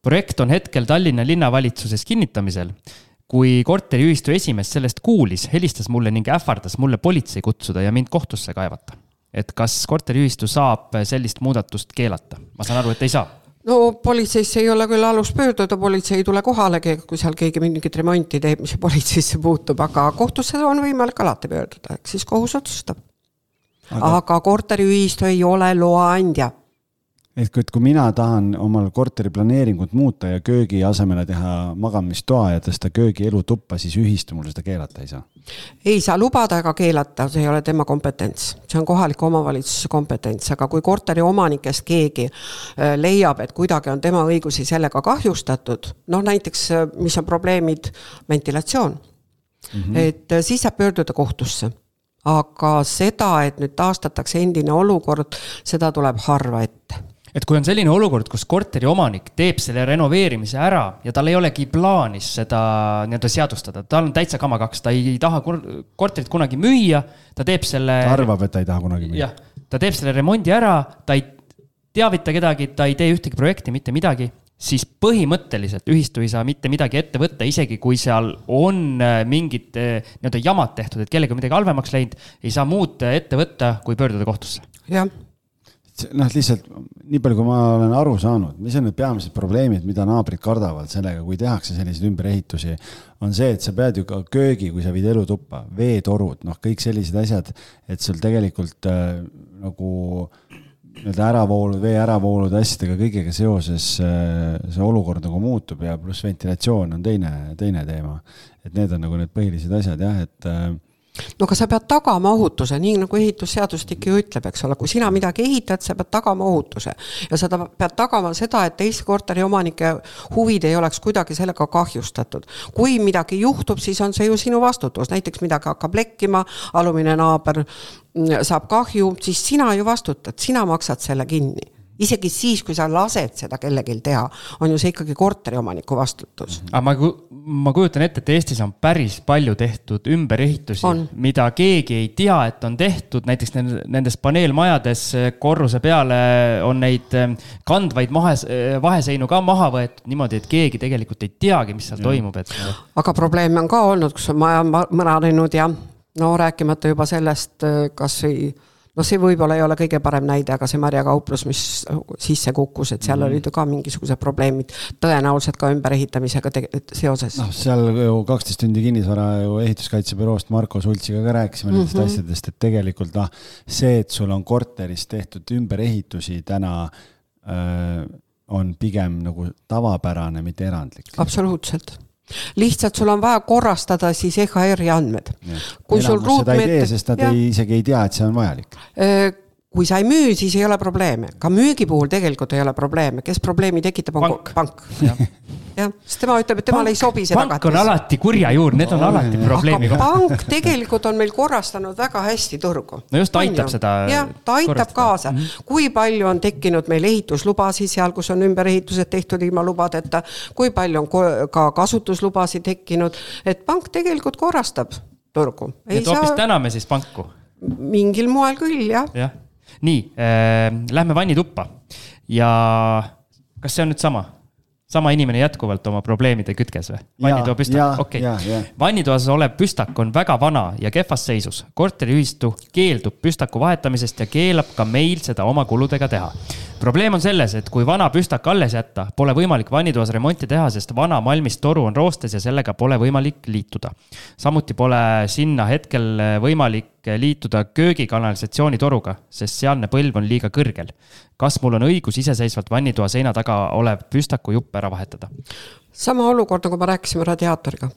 projekt on hetkel Tallinna linnavalitsuses kinnitamisel. Kui korteriühistu esimees sellest kuulis, helistas mulle ning ähvardas mulle politsei kutsuda ja mind kohtusse kaevata. Et kas korteriühistu saab sellist muudatust keelata? Ma saan aru, et ei saa. No politseisse ei ole küll alus pöörduda, politsei ei tule kohalegi, kui seal keegi mingit remonti teeb, mis politseisse puutub, aga kohtusse on võimalik alati pöörduda, eks siis kohus otsustab. Aga, aga korteriühistu ei ole loaandja. Et kui mina tahan omal korteri planeeringut muuta ja köögi asemele teha magamistoa ja tõsta köögi elu tuppa, siis ühistu mul seda keelata ei saa? Ei saa lubada ega keelata, see ei ole tema kompetents. See on kohaliku omavalitsuse kompetents, aga kui korteri omanikest keegi leiab, et kuidagi on tema õigusi sellega kahjustatud, noh näiteks, mis on probleemid, ventilatsioon, mm-hmm. et siis saab pöörduda kohtusse. Aga seda, et nüüd taastatakse endine olukord, seda tuleb harva ette. et kui on selline olukord, kus korteri omanik teeb selle renoveerimise ära ja tal ei olegi plaanis seda nii-öelda seadustada, tal on täitsa kama kaks, ta ei taha korterit kunagi müüa, ta teeb selle... Ta arvab, et ta ei taha kunagi müüa. Jah, ta teeb selle remondi ära, ta ei teavita kedagi, ta ei tee ühtegi projekti, mitte midagi, siis põhimõtteliselt ühistu ei saa mitte midagi ette võtta, isegi kui seal on mingid nii-öelda jamad tehtud, et kellega midagi halvemaks läinud, ei saa muud ette võtta, kui pöörduda kohtusse. Jah. Noh, lihtsalt nii palju, kui ma olen aru saanud, mis on need peamised probleemid, mida naabrid kardavad sellega, kui tehakse selliseid ümberehitusi, on see, et sa pead ju ka köögi, kui sa viid elutuppa, veetorud, noh, kõik sellised asjad, et sul tegelikult äh, nagu nii-öelda äravoolud, vee äravoolud asjadega kõigega seoses äh, see olukord nagu muutub ja pluss ventilatsioon on teine, teine teema. Et need on nagu need põhilised asjad, jah, et äh, no aga sa pead tagama ohutuse, nii nagu ehitusseadustik ju ütleb, eks ole, kui sina midagi ehitad, sa pead tagama ohutuse ja sa pead tagama seda, et teise korteri omanike huvid ei oleks kuidagi sellega kahjustatud. Kui midagi juhtub, siis on see ju sinu vastutus, näiteks midagi hakkab lekkima, alumine naaber saab kahju, siis sina ju vastutad, sina maksad selle kinni. Isegi siis, kui sa lased seda kellegil teha, on ju see ikkagi korteri omaniku vastutus. Aga ma, ma kujutan ette, et Eestis on päris palju tehtud ümberehitusi, on. Mida keegi ei tea, et on tehtud. Näiteks nendes paneelmajades korruse peale on neid kandvaid mahe, vaheseinu ka maha võetud niimoodi, et keegi tegelikult ei teagi, mis seal ja. Toimub. Et... Aga probleem on ka olnud, kus on maja mõranenud ja no rääkimata juba sellest, kas ei... No see võib-olla ei ole kõige parem näide, aga see marjakauplus, mis sisse kukkus, et seal mm. olid ka mingisugused probleemid tõenäoliselt ka ümberehitamisega te- seoses. No, seal ju kaksteist tundi kinnisvara ju ehituskaitsebüroost Marko Sultsiga ka rääkisime mm-hmm. nendest asjadest, et tegelikult no, see, et sul on korteris tehtud ümberehitusi täna äh, on pigem nagu tavapärane, mitte erandlik. Absoluutselt. Lihtsalt sul on vaja korrastada siis E H R-i andmed. Kui sul ruutmeet... seda ei tee, sest nad ei, isegi ei tea, et see on vajalik. Kui sa ei müü, siis ei ole probleeme. Ka müügi puhul tegelikult ei ole probleeme. Kes probleemi tekitab, on pank. pank. Ja. Ja, sest tema ütleb, et temal ei sobi seda pank on alati kurja juur, need on no, alati probleemiga. Aga pank tegelikult on meil korrastanud väga hästi turgu. No just aitab on seda ja, ta aitab korrastada. Kaasa. Mm-hmm. Kui palju on tekkinud meil ehituslubasi seal, kus on ümberehitused tehtud ilma lubadeta, kui palju on ka kasutuslubasid tekkinud, et pank tegelikult korrastab turgu. Ei et saa... hoopis täname siis panku? Mingil moel küll, jah. Ja. Nii, äh, lähme vannituppa ja kas see on nüüd sama? Sama inimene jätkuvalt oma probleemide kütkes või? Vannitoa püstak? Okay. Vannitoas olev püstak on väga vana ja kehvas seisus. Korteriühistu keeldub püstaku vahetamisest ja keelab ka meil seda oma kuludega teha. Probleem on selles, et kui vana püstak alles jätta, pole võimalik vannitoas remonti teha, sest vana malmist toru on roostes ja sellega pole võimalik liituda. Samuti pole sinna hetkel võimalik liituda köögikanalisatsiooni toruga, sest sealne põlv on liiga kõrgel. Kas mul on õigus iseseisvalt vannitoa seina taga olev püstaku jupp ära vahetada? Sama olukord, nagu ma rääkisime radiaatoriga.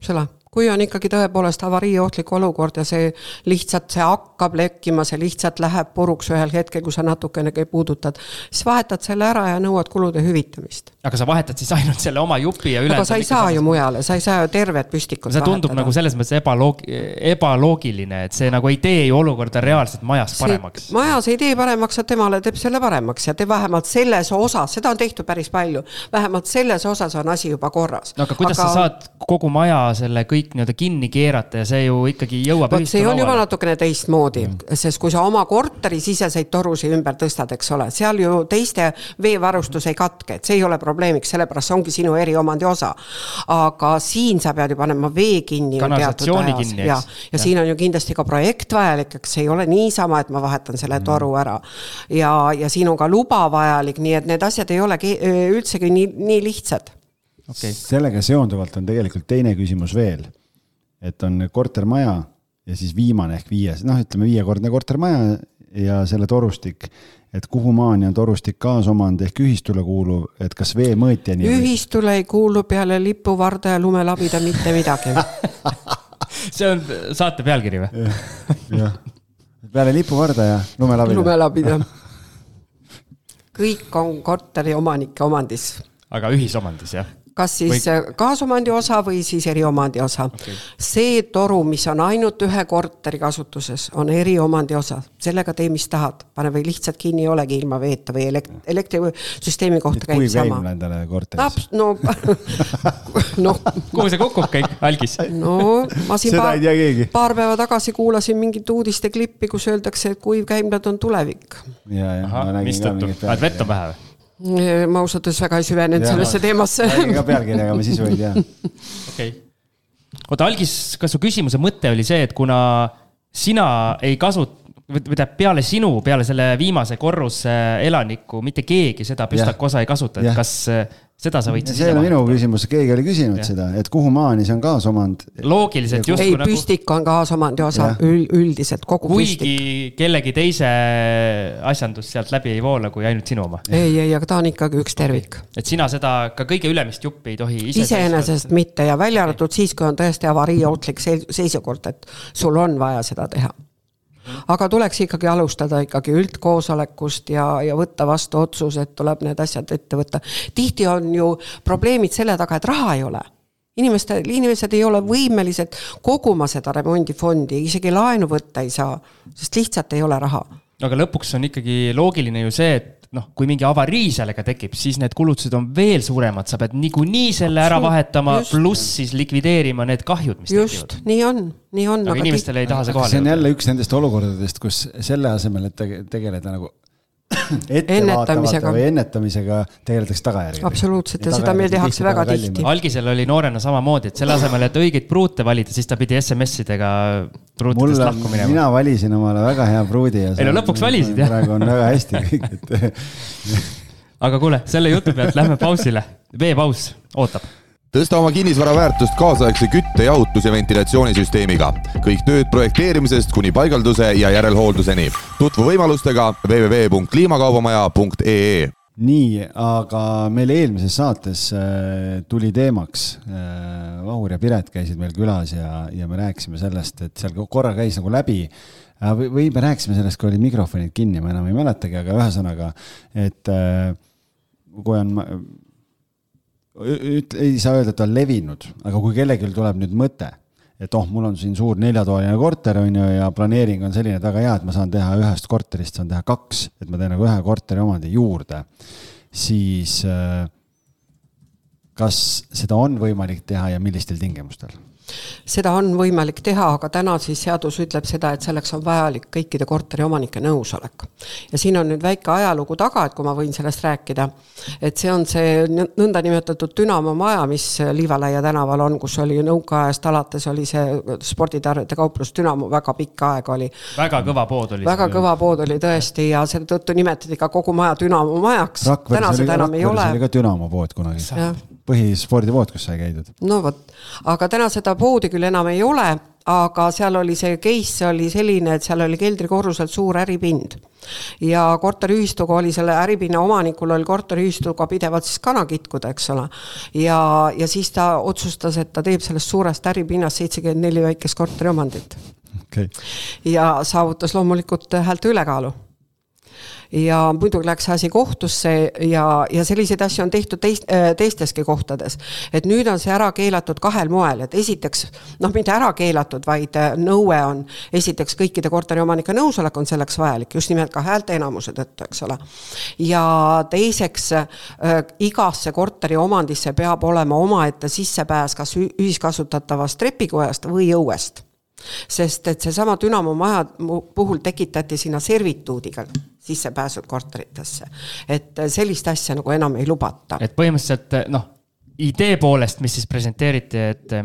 Selle. Kui on ikkagi tõepoolest avariiohtlik olukord ja see lihtsalt see hakkab lekkima, see lihtsalt läheb puruks ühel hetkel, kui sa natukenegi puudutad, siis vahetad selle ära ja nõuad kulude hüvitamist. Aga sa vahetad siis ainult selle oma jupi ja üle... Aga sa ei saa ju mujale, sa ei saa ju tervet püstikut see tundub vahetada. Nagu selles mõttes ebaloog... ebaloogiline, et see nagu ei tee ju olukorda reaalselt majas paremaks. See majas ei tee paremaks, et temale teeb selle paremaks ja te vähemalt selles osas, seda on tehtud päris palju, vähemalt selles osas on asi juba korras. No aga kuidas aga... sa saad kogu maja selle kõik nii-öelda kinni keerata ja see ju ikkagi jõuab ühistu see on juba natukene teistmoodi, mm. sest kui sa oma korteri siseseid torusi ümber tõstad, eks ole, seal ju teiste veevarustus ei katke, et see ei ole probleemiks, sellepärast see ongi sinu eriomandi osa. Aga siin sa pead ju panema vee kinni. Kanalisatsiooni kinni. Ja, ja, ja siin on ju kindlasti ka projekt vajalik, eks see ei ole niisama, et ma vahetan selle mm. toru ära. Ja, ja siin on ka luba vajalik, nii et need asjad ei ole üldsegi nii, nii lihtsad. Okay. Sellega seonduvalt on tegelikult teine küsimus veel, et on kortermaja ja siis viimane ehk viies, noh ütleme viiekordne kortermaja ja selle torustik, et kuhu maani on torustik kaasomand ehk ühistule kuuluv, et kas vee mõõtjani ühistule ei kuulu peale lipuvarda ja lumelabida mitte midagi. See on saate pealkiri või? Jah, peale lipuvarda ja lumelabida. Lumelabida. Kõik on korteri omanike omandis. Aga ühisomandis, jah? kas siis või... kaasomandi osa või siis eriomandi osa. Okay. See toru, mis on ainult ühe korteri kasutuses, on eriomandi osa. Sellega tee, mis tahad. Pane või lihtsalt kinni ei olegi ilma veeta või elekt- elektrisüsteemi kohta käib sama. Kui käim nendele korteris? No, no. Kuhu see kukub kõik, Algis? No, ma siin paar, paar päeva tagasi kuulasin mingit uudiste klippi, kus öeldakse, et kuiv käimlad on tulevik. Ja, ja, Aha, mis tõttu? Vaid vett on vähe või? Ma ausatades väga ei süvenenud sellesse teemasse. Ka pealkirjaga me sisu ei tea. Okei. Oota, Algis, kas su küsimuse mõte oli see, et kuna sina ei kasut, või peale sinu, peale selle viimase korruse elaniku, mitte keegi seda püstakosa ei kasuta, et kas seda sa võid siis see on minu küsimus, keegi oli küsinud ja. Seda, et kuhu maani see on kaasomand? Loogiliselt just ei, püstik on kaasomandi osa üldiselt, kogu kuigi püstik. Kuigi kellegi teise asjandus sealt läbi ei voola kui ainult sinu oma. Ei, ei, aga ta on ikkagi üks tervik. Et sina seda ka kõige ülemist juppi ei tohi ise iseenesest mitte ja välja arvatud siis, kui on tõesti avariiootlik seisukord, et sul on vaja seda teha. Aga tuleks ikkagi alustada ikkagi üldkoosolekust ja, ja võtta vastu otsus, et tuleb need asjad ette võtta. Tihti on ju probleemid selle taga, et raha ei ole. Inimeste, inimesed ei ole võimelised koguma seda remondifondi, isegi laenu võtta ei saa, sest lihtsalt ei ole raha. Aga lõpuks on ikkagi loogiline ju see, et noh, kui mingi avarii sellega tekib, siis need kulutused on veel suuremad, sa pead niikuinii selle ära vahetama, just. Pluss siis likvideerima need kahjud, mis just, tekivad. nii on, nii on. Aga, aga inimestele ei taha see kohale. See on jälle üks nendest olukordadest, kus selle asemel, et tegeleda nagu ettevaatavate või ennetamisega tegeletakse tagajärgedega. Absoluutselt ja, ja seda meil tehakse väga tihti. Algisel oli noorena samamoodi, et selle asemel, et õigeid pruute valida, siis ta pidi S M S-idega pruutidest lahku minema. Mina valisin omale väga hea pruudi ja ei no lõpuks valisid, jah. Praegu on väga hästi kõik. Et... aga kuule, selle jutu pealt lähme pausile. Veepaus ootab. Tõsta oma kinnisvara väärtust kaasaegse kütte, jahutus ja ventilatsioonisüsteemiga. Kõik tööd projekteerimisest kuni paigalduse ja järelhoolduseni. Tutvu võimalustega w w w punkt kliimakaubamaja punkt e e. Nii, aga meil eelmises saates tuli teemaks. Vahur ja Piret käisid meil külas ja, ja me rääkisime sellest, et seal korra käis nagu läbi. Või me rääkisime sellest, kui oli mikrofonid kinni, ma enam ei mäletagi, aga ühesõnaga, et kui on... ei saa öelda, et on levinud, aga kui kellelgi tuleb nüüd mõte, et oh, mul on siin suur neljatoaline korter on ju, ja planeering on selline väga hea, et ma saan teha ühest korterist, saan teha kaks, et ma teen nagu ühe korteri omandi juurde, siis kas seda on võimalik teha ja millistel tingimustel? Seda on võimalik teha, aga täna siis seadus ütleb seda, et selleks on vajalik kõikide korteri omanike nõusolek. Ja siin on nüüd väike ajalugu taga, et kui ma võin sellest rääkida, et see on see nõnda nimetatud Dünamo maja, mis Liivalaia tänaval on, kus oli nõukaajast alates oli see sporditarvete kauplus Dünamo, väga pikka aega oli. Väga kõva pood oli. Väga kõva pood oli tõesti ja selle tõttu nimetati ka kogu maja Dünamo majaks. Täna seda enam ei ole. Oli ka Dünamo pood kunagi. Põhispordipood, kus sai käidud. No võt, aga täna seda poodi küll enam ei ole, aga seal oli see case oli selline, et seal oli keldrikorruselt suur äripind. Ja korteriühistuga oli selle äripinna omanikul oli korteriühistuga pidevalt siis kanakitkuda, eks ole. Ja, ja siis ta otsustas, et ta teeb sellest suurest äripinnast seitsekümmend neli väikest korteri omandit. Okay. Ja saavutas loomulikult häälte ülekaalu. Ja muidugi läks asi kohtusse ja, ja selliseid asju on tehtud teist, teisteski kohtades. Et nüüd on see ära keelatud kahel moel, et esiteks, noh mitte ära keelatud, vaid nõue on esiteks kõikide korteriomanike nõusolek on selleks vajalik, just nimelt ka häälte enamuse tõttu, eks ole. Ja teiseks, äh, igasse korteri omandisse peab olema omaette sissepääs kas ühiskasutatavast trepikojast või õuest. Sest et see sama Dünamo maja puhul tekitati sinna servituudiga sissepääsud korteritesse. Et sellist asja nagu enam ei lubata. Et põhimõtteliselt, noh, idee poolest, mis siis presenteeriti, et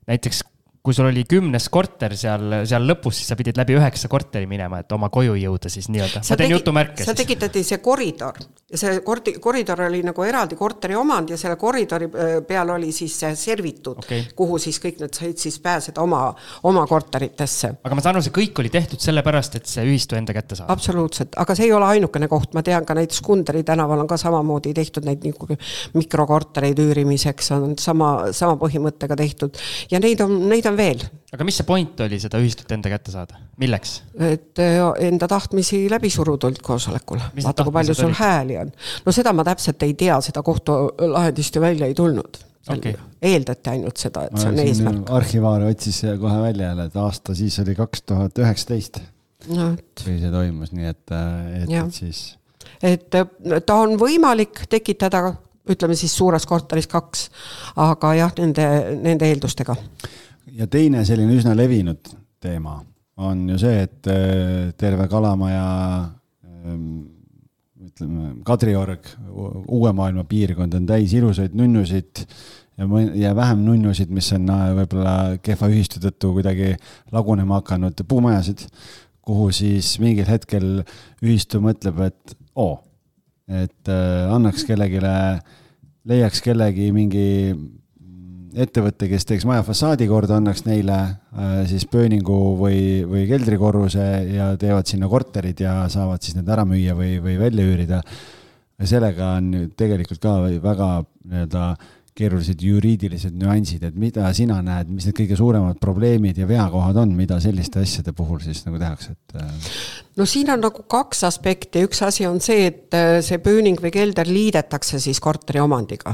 näiteks kui sul oli kümnes korter seal, seal lõpus, siis sa pidid läbi üheksa korteri minema, et oma koju jõuda siis nii-öelda. Ma teen jutumärke. Sa tekitati see koridor ja see koridor oli nagu eraldi korteri omand ja selle koridori peal oli siis see servitud, okay. Kuhu siis kõik need said siis pääseda oma, oma korteritesse. Aga ma saan aru, see kõik oli tehtud sellepärast, et see ühistu enda kätte saab. Absoluutselt, aga see ei ole ainukene koht. Ma tean ka näiteks Kunderi tänaval on ka samamoodi tehtud neid nagu mikrokortereid üürimiseks, on sama, sama põhimõttega tehtud ja neid on, neid on veel. Aga mis see point oli seda ühistut enda kätte saada? Milleks? Et enda tahtmisi läbi surudult koosolekul. Vaata, kui palju sul hääli on. No seda ma täpselt ei tea, seda kohtu lahendist ju välja ei tulnud. Okay. Eeldati ainult seda, et see on eesmärk. Arhivaar otsis kohe välja jälle, et aasta siis oli kaks tuhat üheksateist. No, et... kui see toimus, nii et, et, et siis... Et ta on võimalik tekitada, ütleme siis suures korteris kaks, aga jah, nende, nende eeldustega. Ja teine selline üsna levinud teema on ju see, et terve Kalamaja ütleme, Kadriorg, uue maailma piirkond on täis ilusaid nunnusid ja, ja vähem nunnusid, mis on võib-olla kehva ühistu tõttu kuidagi lagunema hakanud puumajasid, kuhu siis mingil hetkel ühistu mõtleb, et oo, et annaks kellegile, leiaks kellegi mingi ettevõtte, kes teeks maja fassaadi korda, annaks neile siis pööningu või, või keldrikorruse ja teevad sinna korterid ja saavad siis need ära müüa või, või välja üürida. Ja sellega on tegelikult ka väga nii-öelda keerulised juriidilised nüansid, et mida sina näed, mis need kõige suuremad probleemid ja veakohad on, mida selliste asjade puhul siis nagu tehakse? Et... No siin on nagu kaks aspekti. Üks asi on see, et see pööning või kelder liidetakse siis korteri omandiga.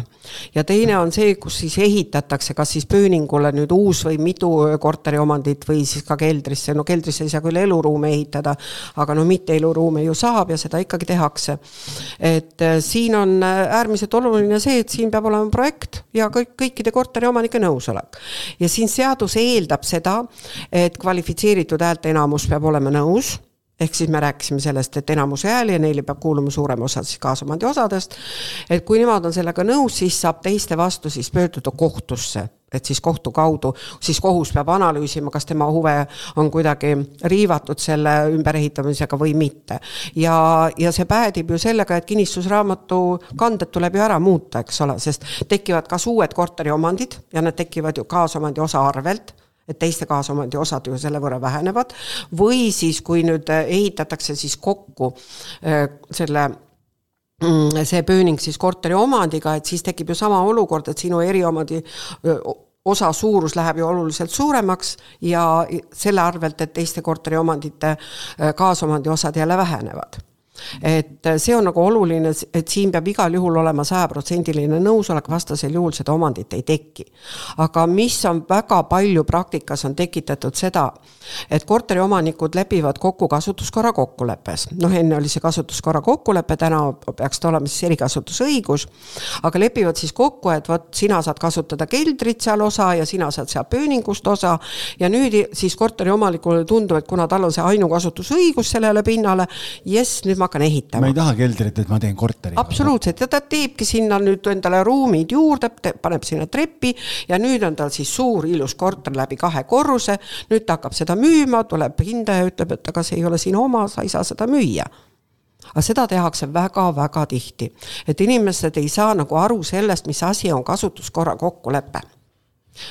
Ja teine on see, kus siis ehitatakse kas siis pööningule nüüd uus või mitu korteri omandit või siis ka keldrisse. No keldrisse ei saa küll eluruume ehitada, aga no mitte eluruume ju saab ja seda ikkagi tehakse. Et siin on äärmiselt oluline see, et siin peab olema projekt ja kõik, kõikide korteri omanike nõusolek. Ja siin seadus eeldab seda, et kvalifitseeritud häälte enamus peab olema nõus, ehk siis me rääkisime sellest, et enamuse hääli ja neile peab kuuluma suurem osa siis kaasomandi osadest, et kui nemad on sellega nõus, siis saab teiste vastu siis pöörduda kohtusse, et siis kohtu kaudu, siis kohus peab analüüsima, kas tema huve on kuidagi riivatud selle ümberehitamisega või mitte. Ja, ja see päädib ju sellega, et kinnistusraamatu kanded tuleb ju ära muuta, eks ole, sest tekivad kas uued korteri omandid ja nad tekivad ju kaasomandi osa arvelt, et teiste kaasomandi osad ju selle võrra vähenevad, või siis kui nüüd ehitatakse siis kokku selle see pööning siis korteri omandiga, et siis tekib ju sama olukord, et sinu eriomandi osa suurus läheb ju oluliselt suuremaks ja selle arvelt, et teiste korteri omandite kaasomandi osad jälle vähenevad. Et see on nagu oluline, et siin peab igal juhul olema sajaprotsendiline nõusolek, vastasel juhul seda omandit ei teki. Aga mis on väga palju praktikas on tekitatud seda, et korteri omanikud lepivad kokku kasutuskorra kokkuleppes. Noh, enne oli see kasutuskorra kokkulepe, täna peaks ta olema siis erikasutusõigus, aga lepivad siis kokku, et võt, sina saad kasutada keldrit seal osa ja sina saad seal pööningust osa ja nüüd siis korteri omanikule tundub, et kuna tal on see ainukasutusõigus sellele pinnale, jes, nüüd ma hakkan ehitama. Ma ei taha keldrit, et ma teen korteri. Absoluutselt, ja ta teebki sinna nüüd endale ruumid juurde, paneb sinna treppi ja nüüd on tal siis suur ilus korter läbi kahe korruse, nüüd ta hakkab seda müüma, tuleb hinda ja ütleb, et aga see ei ole sinu oma, sa ei saa seda müüa. Aga seda tehakse väga-väga tihti, et inimesed ei saa nagu aru sellest, mis asi on kasutuskorra kokkulepe.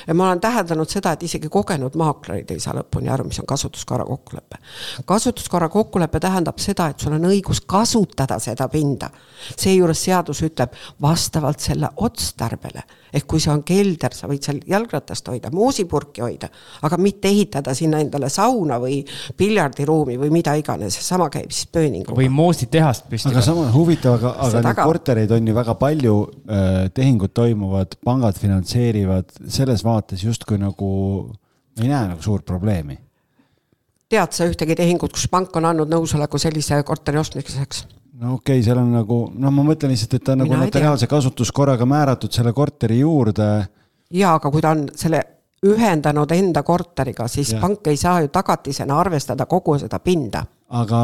Ja ma olen täheldanud seda, et isegi kogenud maaklerid ei saa lõpuni aru, mis on kasutuskorra kokkulepe. Kasutuskorra kokkulepe tähendab seda, et sul on õigus kasutada seda pinda. See juures seadus ütleb vastavalt selle otstarbele. Ehk kui see on kelder, sa võid seal jalgratast hoida, moosipurki hoida, aga mitte ehitada sinna endale sauna või piljardiruumi või mida iganes. Sama käib siis pööninguga. Või moositehast püsti. Aga sama huvitav, aga, aga need kortereid on ju väga palju, äh, tehingud toimuvad, pangad finantseerivad, selles vaates justkui nagu ei näe nagu suur probleemi. Tead sa ühtegi tehingut, kus pank on andnud nõusoleku sellise korteri ostmiseks? No okei, okay, seal on nagu, no ma mõtlen lihtsalt, et ta on nagu notariaalse kasutuskorraga määratud selle korteri juurde. Jaa, aga kui ta on selle ühendanud enda korteriga, siis ja. Pank ei saa ju tagatisena arvestada kogu seda pinda. Aga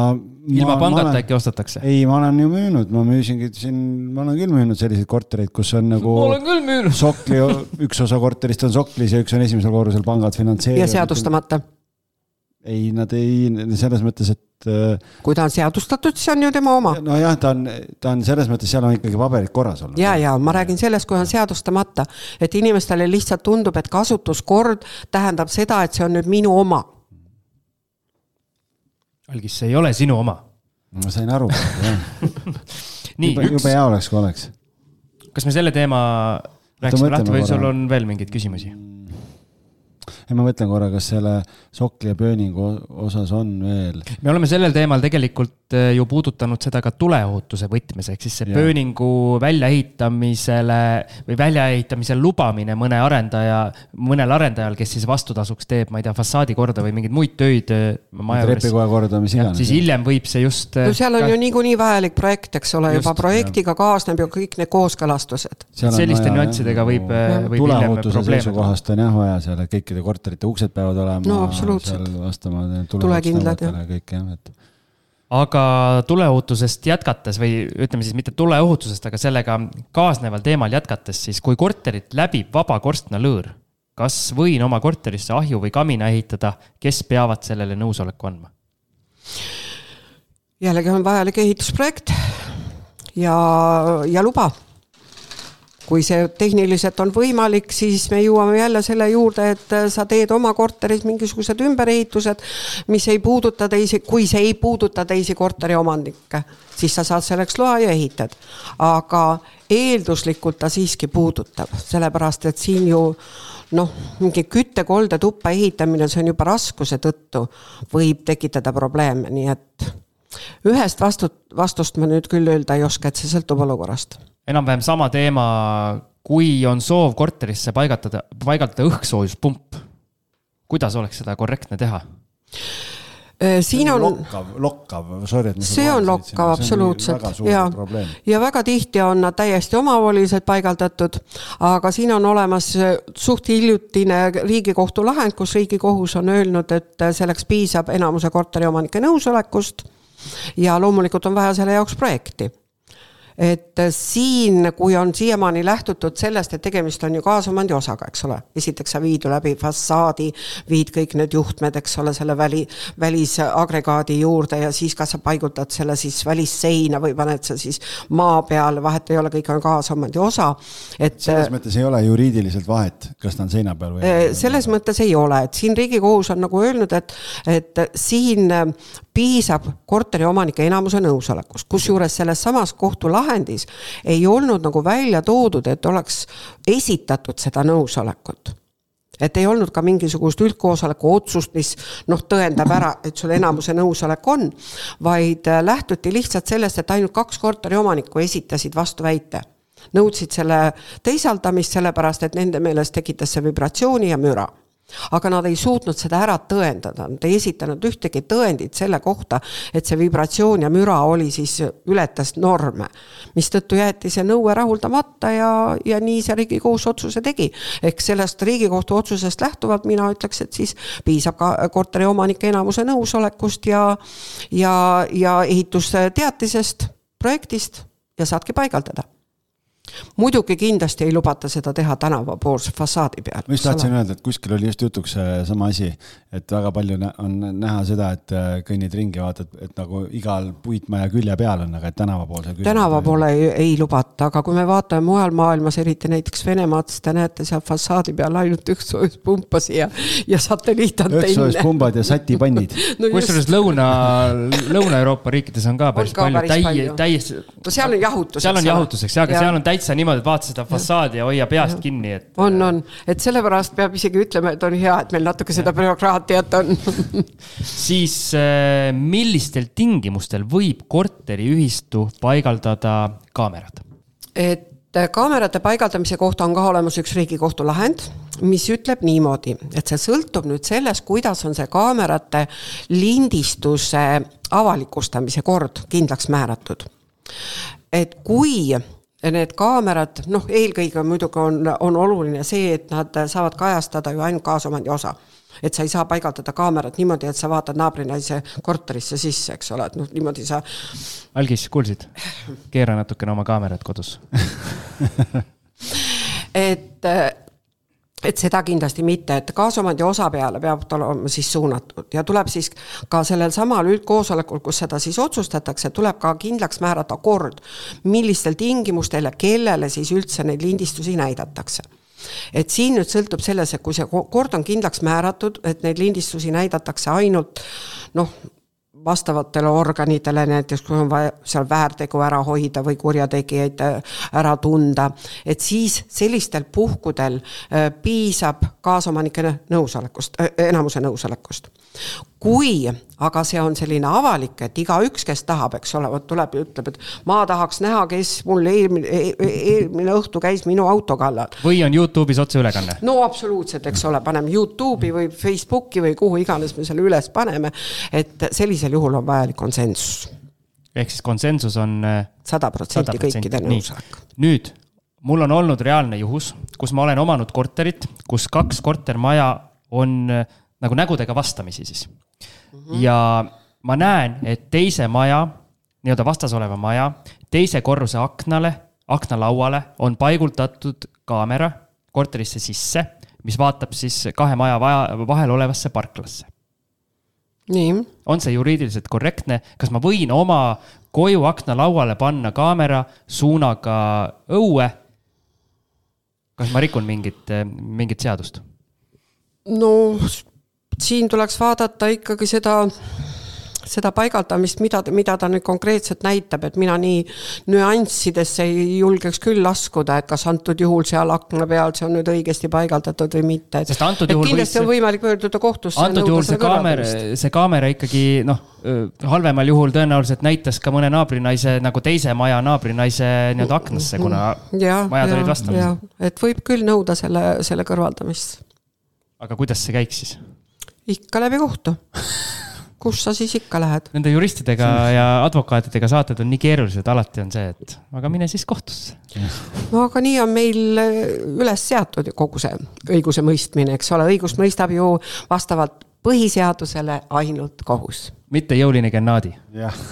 ilma pangata äkki ostetakse? Ei, ma olen ju müünud, ma müüsingi siin, ma olen küll müünud selliseid kortereid, kus on nagu ma olen küll müünud. Sokli, üks osa korterist on soklis ja üks on esimesel korrusel pangad finantseerivad. Ja seadustamata? Ei, nad ei, selles mõttes, et kui ta on seadustatud, siis on ju tema oma. No jah, ta on, ta on selles mõttes, seal on ikkagi paberid korras olnud. Ja, ja, ma räägin sellest, kui on seadustamata, et inimestele lihtsalt tundub, et kasutuskord tähendab seda, et see on nüüd minu oma. Algis, see ei ole sinu oma. Ma sain aru. Nii, juba, üks... juba hea oleks, kui oleks. Kas me selle teema rääksime lahti või sul on veel mingeid küsimusi? ja ma mõtlen korra, kas selle sokli ja pööningu osas on veel. Me oleme sellel teemal tegelikult ju puudutanud seda ka tuleohutuse võtmes, ehk siis see ja. Pööningu väljaehitamisele või väljaehitamisel lubamine mõne arendaja, mõnel arendajal, kes siis vastutasuks teeb, ma ei tea, fassaadi korda või mingid muid töid trepikoja korda, mis iganes. Siis hiljem võib see just... No seal on ka... ju niikuinii vajalik projekt, eks ole, juba projektiga ja. Kaasneb ju kõik need kooskõlastused. Selliste vaja, nüansidega võib, võib hiljem probleeme. Kohast on jah vaja seal, kõikide korterite uksed peavad olema. No absoluutselt. Vastama tulekindlad ja. Kõik, jah, et... Aga tuleohutusest jätkates või ütleme siis mitte tuleohutusest, aga sellega kaasneval teemal jätkates, siis kui korterit läbib vaba korstna lõõr, kas võin oma korterisse ahju või kamina ehitada, kes peavad sellele nõusoleku andma? Jällegi on vajalik ehitusprojekt ja, ja luba. Kui see tehniliselt on võimalik, siis me jõuame jälle selle juurde, et sa teed oma korteris mingisugused ümberehitused, mis ei puuduta teisi, kui see ei puuduta teisi korteri omanikke, siis sa saad selleks loa ja ehitad. Aga eelduslikult ta siiski puudutab, sellepärast et siin ju noh, mingi küttekolde tuppa ehitamine, see on juba raskuse tõttu, võib tekitada probleeme, nii et ühest vastut, vastust ma nüüd küll öelda ei oska, et see sõltub olukorrast. Enam-vähem sama teema, kui on soov korterisse paigaldada, paigaldada õhksoojuspump. Kuidas oleks seda korrektne teha? Siin on lokkav, lokkav, sorry, et see on lokkav, absoluutselt. Ja, ja väga tihti on nad täiesti omavoliselt paigaldatud, aga siin on olemas suht hiljutine Riigikohtu lahend, kus Riigikohus on öelnud, et selleks piisab enamuse korteri omanike nõusolekust ja loomulikult on vaja selle jaoks projekti. Et siin, kui on siiamaani lähtutud sellest, et tegemist on ju kaasomandi osaga, eks ole. Esiteks sa viid läbi fassaadi, viid kõik need juhtmed, eks ole, selle väli, välisagregaadi juurde ja siis kas sa paigutad selle siis välisseina või paned sa siis maa peale, vahet ei ole, kõik on kaasomandi osa. Et, selles mõttes ei ole juriidiliselt vahet, kas ta on seina peal või? Selles mõttes ei ole, et siin Riigikohus on nagu öelnud, et, et siin piisab korteri omanike enamuse nõusolekust, kus juures selles samas kohtu lahendis ei olnud nagu välja toodud, et oleks esitatud seda nõusolekut. Et ei olnud ka mingisugust üldkoosoleku otsust, mis noh, tõendab ära, et sul enamuse nõusolek on, vaid lähtuti lihtsalt sellest, et ainult kaks korteri omanikku esitasid vastu väite. Nõudsid selle teisaldamist sellepärast, et nende meelest tekitas see vibratsiooni ja müra. Aga nad ei suutnud seda ära tõendada, nad ei esitanud ühtegi tõendit selle kohta, et see vibratsioon ja müra oli siis ületas norme, mis tõttu jäeti see nõue rahuldamata ja, ja nii see Riigikohus otsuse tegi. Ehk sellest Riigikohtu otsusest lähtuvalt mina ütleks, et siis piisab ka korteri omanike enamuse nõusolekust ja, ja, ja ehitusteatisest, projektist ja saadki paigaldada. Muidugi kindlasti ei lubata seda teha tänavapoolse fassaadi peal. Ma just tahtsin öelda, et kuskil oli just jutuks sama asi, et väga palju on näha seda, et kõnnid ringi vaatad, et nagu igal puitmaja külje peal on, aga et tänavapoolse külje. Tänavapoole ei, ei lubata, aga kui me vaatame mujal maailmas, eriti näiteks Venemaad, siis te näete seal fassaadi peal ainult õhksoojuspumpas ja, ja satelliitantenne. Õhksoojuspunbad ja satipannid. No kusjuures Lõuna, Lõuna-Euroopa riikides on ka päris, on ka palju, päris täi, täies, no seal on jahutuseks. Seal on jahutuseks, aga ja. Seal on täitsa niimoodi, et vaata seda fassaadi ja hoia peast ja. Kinni. Et... On, on. Et sellepärast peab isegi ütlema, et on hea, et meil natuke seda bürokraatiat on. Siis millistel tingimustel võib korteriühistu paigaldada kaamerad? Et kaamerate paigaldamise kohta on ka olemas üks Riigikohtu lahend, mis ütleb niimoodi, et see sõltub nüüd sellest, kuidas on see kaamerate lindistuse avalikustamise kord kindlaks määratud. Et kui need kaamerad, noh, eelkõige muidugi on, on oluline see, et nad saavad kajastada ju ainult kaasomandi osa. Et sa ei saa paigaldada kaamerat niimoodi, et sa vaatad naabrinaise korterisse sisse, eks ole, et noh, niimoodi sa... Algis, kuulsid? Keera natukene oma kaamerat kodus. et... Et seda kindlasti mitte, et kaasomandi osa peale peab olema siis suunatud ja tuleb siis ka sellel samal üldkoosolekul, kus seda siis otsustatakse, tuleb ka kindlaks määrata kord, millistel tingimustel ja kellele siis üldse neid lindistusi näidatakse. Et siin nüüd sõltub selles, et kui see kord on kindlaks määratud, et neid lindistusi näidatakse ainult noh, vastavatele organitele, näiteks kui on vaja seal väärtegu ära hoida või kurjategijaid ära tunda, et siis sellistel puhkudel piisab kaasomanike nõusolekust, enamuse nõusolekust. Kui aga see on selline avalik, et iga üks, kes tahab, eks ole, tuleb ja ütleb, et ma tahaks näha, kes mul eelmine, eelmine õhtu käis minu auto kallal. Või on YouTube'is otse ülekanne? No absoluutselt, eks ole, paneme YouTube'i või Facebooki või kuhu iganes me selle üles paneme, et sellisel juhul on vajalik konsensus. Ehk siis konsensus on sada protsenti kõikide nõusolek. Nüüd, mul on olnud reaalne juhus, kus ma olen omanud korterit, kus kaks kortermaja on nagu nägudega vastamisi siis. Mm-hmm. Ja ma näen, et teise maja, nii-öelda vastas oleva maja, teise korruse aknale, aknalauale on paigultatud kaamera korterisse sisse, mis vaatab siis kahe maja vahel olevasse parklasse. Nii. On see juriidiliselt korrektne? Kas ma võin oma koju aknalauale panna kaamera suunaga õue? Kas ma rikun mingit, mingit seadust? No siin tuleks vaadata ikkagi seda, seda paigaldamist, mida, mida ta nüüd konkreetselt näitab, et mina nii nüanssidesse ei julgeks küll laskuda, et kas antud juhul seal akna peal see on nüüd õigesti paigaldatud või mitte. Et, et kindlasti võis... on võimalik pöörduda kohtusse. Antud juhul see kaamera, see kaamera ikkagi noh, halvemal juhul tõenäoliselt näitas ka mõne naabrinaise, nagu teise maja naabrinaise nii-öelda aknasse, kuna ja, majad ja, olid vastamas. Et võib küll nõuda selle, selle kõrvaldamist. Aga kuidas see käiks siis? Ikka läbi kohtu. Kus sa siis ikka lähed? Nende juristidega ja advokaatidega saated on nii keerulised, alati on see, et aga mine siis kohtusse. No aga nii on meil üles seatud kogu see õiguse mõistmine, eks ole, õigust mõistab ju vastavalt põhiseadusele ainult kohus. Mitte jõuline gennaadi. Jah.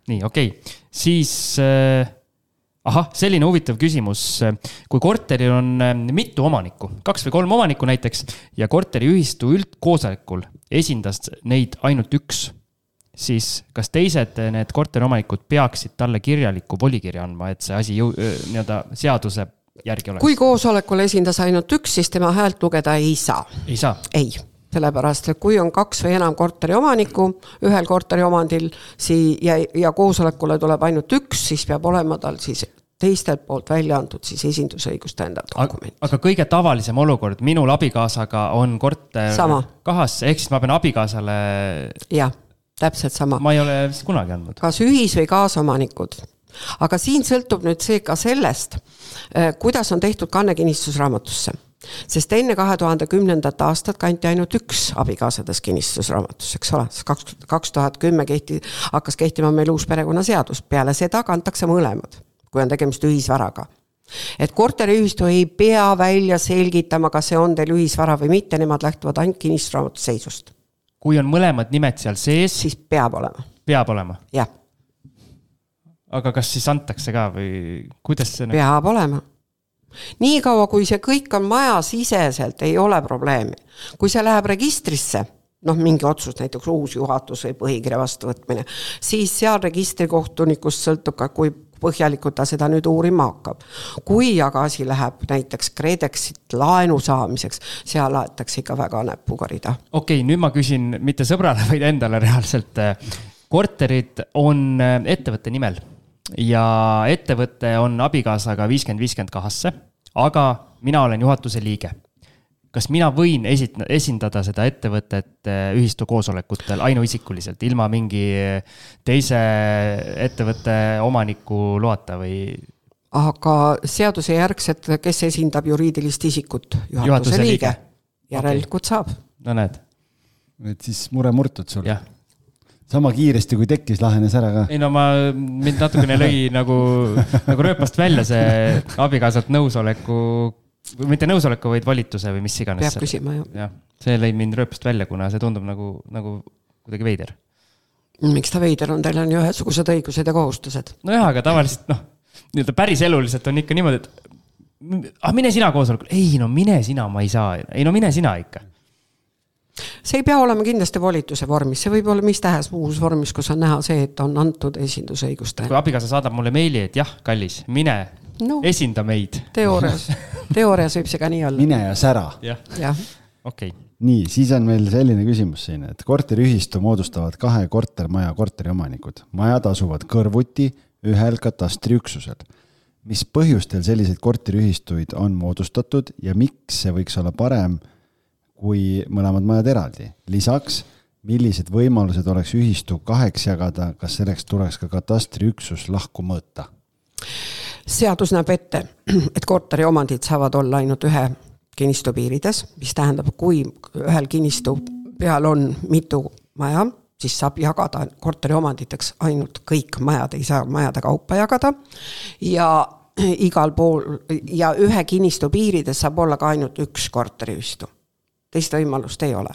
Nii, okei. Okay. Siis... Äh... Aha, selline huvitav küsimus. Kui korteril on mitu omanikku, kaks või kolm omanikku näiteks, ja korteri ühistu üldkoosolekul esindas neid ainult üks, siis kas teised need korteriomanikud peaksid talle kirjaliku volikirja andma, et see asi jõu, nii-öelda seaduse järgi oleks? Kui koosolekul esindas ainult üks, siis tema häält lugeda ei saa. Ei saa? Ei. Sellepärast, et kui on kaks või enam korteri omanikku ühel korteri omandil ja, ja koosolekule tuleb ainult üks, siis peab olema tal siis teistelt poolt välja antud siis esindusõigust tähendav dokument. Aga, aga kõige tavalisem olukord, minul abikaasaga on korter sama. Kahas, ehk siis ma pean abikaasale... Jah, täpselt sama. Ma ei ole kunagi andnud. Kas ühis- või kaasomanikud. Aga siin sõltub nüüd see ka sellest, kuidas on tehtud kanne kinnistusraamatusse. Sest enne kahe tuhande kümnendat aastat kanti ainult üks abikaasades kinnistusraamatus, eks ole, kaks tuhat kümme kehti, hakkas kehtima meil uus perekonnaseadus, peale seda kantakse mõlemad, kui on tegemist ühisvaraga. Et korteriühistu ei pea välja selgitama, kas see on teil ühisvara või mitte, nemad lähtuvad ainult kinnistusraamatu seisust. Kui on mõlemad nimed seal sees, siis peab olema. Peab olema? Jah. Aga kas siis antakse ka või kuidas see... Peab olema. Nii kaua, kui see kõik on maja siseselt, ei ole probleemi. Kui see läheb registrisse, noh, mingi otsus, näiteks uus juhatus või põhikirja vastuvõtmine, siis seal registrikohtunikust sõltub ka, kui põhjalikult ta seda nüüd uurima hakkab. Kui aga asi läheb näiteks KredExit laenu saamiseks, seal aetakse ikka väga näpuga rida. Okei, nüüd ma küsin mitte sõbrale, vaid endale reaalselt. Korterid on ettevõtte nimel ja ettevõtte on abikaasaga viiskümmend viiskümmend kahasse, aga mina olen juhatuse liige. Kas mina võin esindada seda ettevõtet ühistu koosolekutel ainuisikuliselt, ilma mingi teise ettevõtte omaniku loata või? Aga seaduse järgselt, kes esindab juriidilist isikut? Juhatuse, juhatuse liige. Järelikult okay. Saab. No näed. Et siis mure murtud sul. Jah. Sama kiiresti, kui tekkis, lahenes ära ka. Ei no ma mind natukene lõi nagu, nagu rööpast välja see abikaasalt nõusoleku, mitte nõusoleku, vaid valituse või mis iganes. Peab küsima, jah. Ja, see lõi mind rööpast välja, kuna see tundub nagu, nagu kuidagi veider. Miks ta veider on? Teil on ju ühesugused õigused ja kohustused. No jah, aga tavaliselt noh, nii-öelda päris eluliselt on ikka niimoodi, et ah, mine sina koosolekul. Ei no mine sina, ma ei saa. Ei no mine sina ikka. See ei pea olema kindlasti volituse vormis, see võib olla mis tähes muus vormis, kus on näha see, et on antud esindusõiguste. Kui abikaasa saadab mulle meili, et jah, kallis, mine, no, esinda meid. Teoorias, teoorias võib see ka nii olla. Mine ja sära. Jah, ja. okei okay. nii, siis on meil selline küsimus siin, et korteriühistu moodustavad kahe kortermaja korteriomanikud. Majad asuvad kõrvuti ühel katastriüksusel. Mis põhjustel selliseid korteriühistuid on moodustatud ja miks see võiks olla parem kui mõlemad majad eraldi? Lisaks, millised võimalused oleks ühistu kaheks jagada, kas selleks tuleks ka katastriüksus lahku mõõta? Seadus näeb ette, et korteriomandid saavad olla ainult ühe kinnistu piirides, mis tähendab, kui ühel kinnistu peal on mitu maja, siis saab jagada korteriomanditeks ainult kõik majad, ei saa majade kaupa jagada ja igal pool ja ühe kinnistu piirides saab olla ka ainult üks korteriühistu. Teist võimalust ei ole.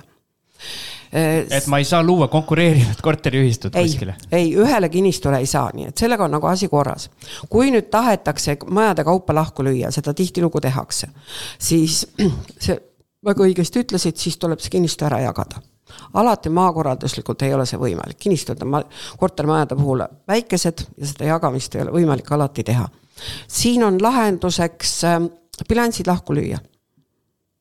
Et ma ei saa luua konkureerivat korteriühistut ei, kuskile. Ei, ühele kinnistule ei saa, nii et sellega on nagu asi korras. Kui nüüd tahetakse majade kaupa lahku lüüa, seda tihtilugu tehakse, siis see väga õigesti ütlesid, siis tuleb see kinnistu ära jagada. Alati maakorralduslikult ei ole see võimalik. Kinnistud on kortermajade puhul väikesed ja seda jagamist ei ole võimalik alati teha. Siin on lahenduseks bilansid lahku lüüa.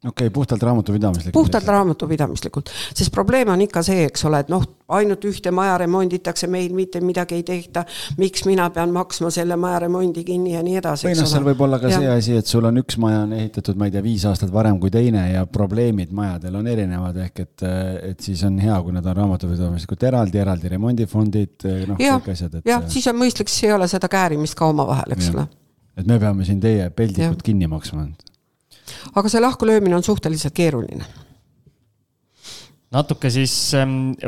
Okei, okay, puhtalt raamatupidamislikult. Puhtalt raamatupidamislikult, sest probleem on ikka see, eks ole, et noh, ainult ühte maja remonditakse, meil mitte midagi ei tehta, miks mina pean maksma selle maja remondi kinni ja nii edasi. Või noh, seal võib olla ka ja. see asi, et sul on üks maja on ehitatud, ma ei tea, viis aastat varem kui teine ja probleemid majadel on erinevad, ehk et, et siis on hea, kui nad on raamatupidamislikult eraldi, eraldi remondifondid, noh, ja, kõik asjad. Et... jah, siis on mõistlik, siis ei ole seda käärimist ka oma vahel, eks ole. Et me peame siin teie peldikud kinni maksma. Aga see lahku löömine on suhteliselt keeruline. Natuke siis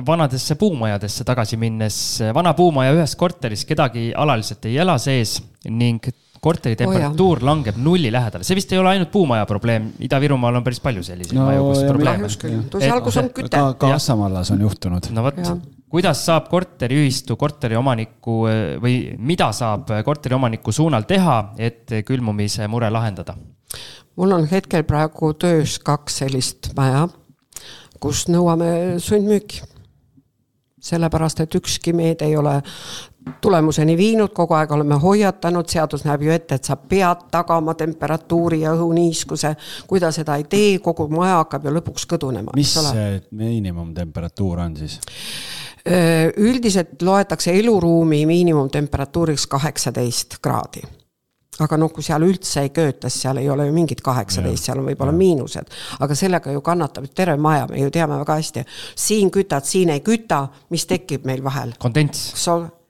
vanadesse puumajadesse tagasi minnes. Vana puumaja ühes korteris kedagi alaliselt ei ela sees ning korteri temperatuur oh, langeb nulli lähedale. See vist ei ole ainult puumaja probleem. Ida-Virumaal on päris palju selliseid no, maju, kus probleem on. Algus on küte. Ka, ka Assamallas on juhtunud. No võt, kuidas saab korteriühistu korteriomaniku või mida saab korteriomaniku suunal teha, et külmumise mure lahendada? Mul on hetkel praegu töös kaks sellist maja, kus nõuame sundmüüki. Sellepärast, et ükski meed ei ole tulemuseni viinud, kogu aeg oleme hoiatanud, seadus näeb ju ette, et sa pead tagama temperatuuri ja õhuniiskuse. Kui ta seda ei tee, kogu maja hakkab ju lõpuks kõdunema. Mis see miinimumtemperatuur on siis? Üldiselt loetakse eluruumi miinimumtemperatuuriks kaheksateist kraadi. Aga noh, kui seal üldse ei köötas, seal ei ole ju mingid kaheksateist, seal on võib-olla miinused. Aga sellega ju kannatab terve maja, me ju teame väga hästi. Siin kütad, siin ei küta, mis tekib meil vahel? Kondents.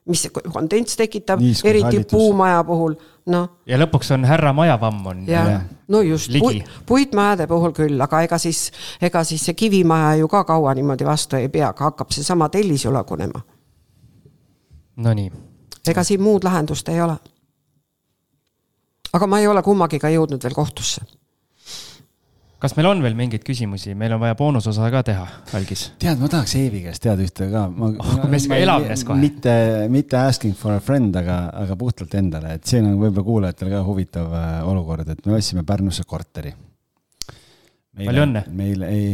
Mis kondents tekitab, Niiskus, eriti hallitus. Puumaja puhul. No. Ja lõpuks on härra majavamm on ja, no just, ligi. Puitmajade puhul küll, aga ega siis, ega siis see kivimaja ju ka kaua niimoodi vastu ei pea, hakkab see sama tellis ju lagunema. No nii. Ega siin muud lahendust ei ole. Aga ma ei ole kummagiga jõudnud veel kohtusse. Kas meil on veel mingeid küsimusi? Meil on vaja boonusosa ka teha, Algis. Tead, ma tahaks Eevi käest teada ühte ka. Ma, oh, me ka elavnes kohe. Mitte, mitte asking for a friend, aga, aga puhtalt endale. Et siin on võib-olla kuulajatel ka huvitav olukord, et me võtsime Pärnusse korteri. Meile, Palju õnne. Meile, ei,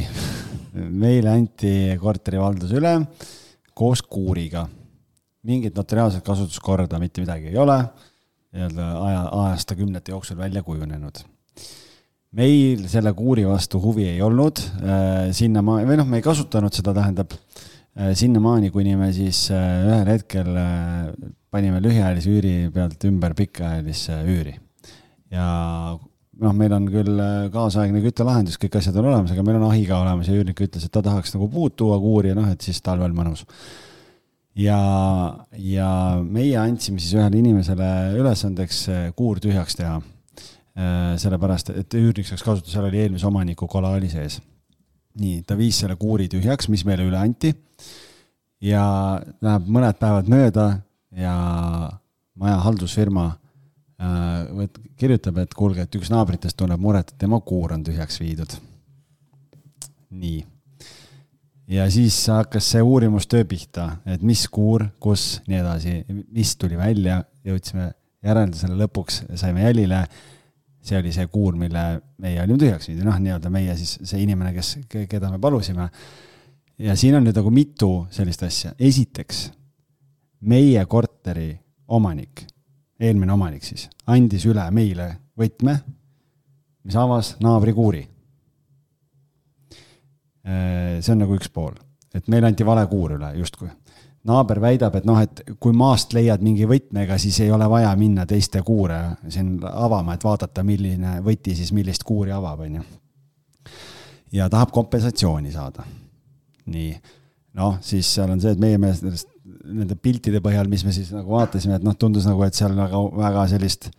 meile anti korteri valdus üle koos kuuriga. Mingit notariaalset kasutuskorda, mitte midagi ei ole. Aja, aasta kümnete jooksul välja kujunenud. Meil selle kuuri vastu huvi ei olnud. Sinna ma, või noh, me ei kasutanud seda, tähendab sinna maani, kuni me siis ühel hetkel panime lühiajalise üüri pealt ümber pikaajalisse üüri. Ja noh, meil on küll kaasaegne küttelahendus, kõik asjad on olemas, aga meil on ahiga olemas ja üürnik ütles, et ta tahaks nagu puud tuua kuuri ja noh, et siis talvel mõnus. Ja, ja meie andsime siis ühele inimesele ülesandeks kuur tühjaks teha, sellepärast, et üürnik saaks kasutada, seal oli eelmise omaniku kolaali sees. Nii, ta viis selle kuuri tühjaks, mis meile üle anti ja läheb mõned päevad mööda ja maja haldusfirma võt, kirjutab, et kuulge, et üks naabritest tunneb muret, et tema kuur on tühjaks viidud. Nii. Ja siis hakkas see uurimustöö pihta, et mis kuur, kus, nii edasi, mis tuli välja, jõudsime järeldusele lõpuks, saime jälile, see oli see kuur, mille meie olime tühjaks viidi, noh, nii-öelda meie siis see inimene, kes, keda me palusime. Ja siin on nüüd nagu mitu sellist asja. Esiteks, meie korteri omanik, eelmine omanik siis, andis üle meile võtme, mis avas naabri kuuri. see on nagu üks pool, et meil anti vale kuur üle justkui. Naaber väidab, et noh, et kui maast leiad mingi võtmega, siis ei ole vaja minna teiste kuure siin avama, et vaadata, milline võti siis millist kuuri avab. On ju. Ja tahab kompensatsiooni saada. Nii, noh, siis seal on see, et meie meelest nende piltide põhjal, mis me siis nagu vaatasime, et noh, tundus nagu, et seal väga, väga sellist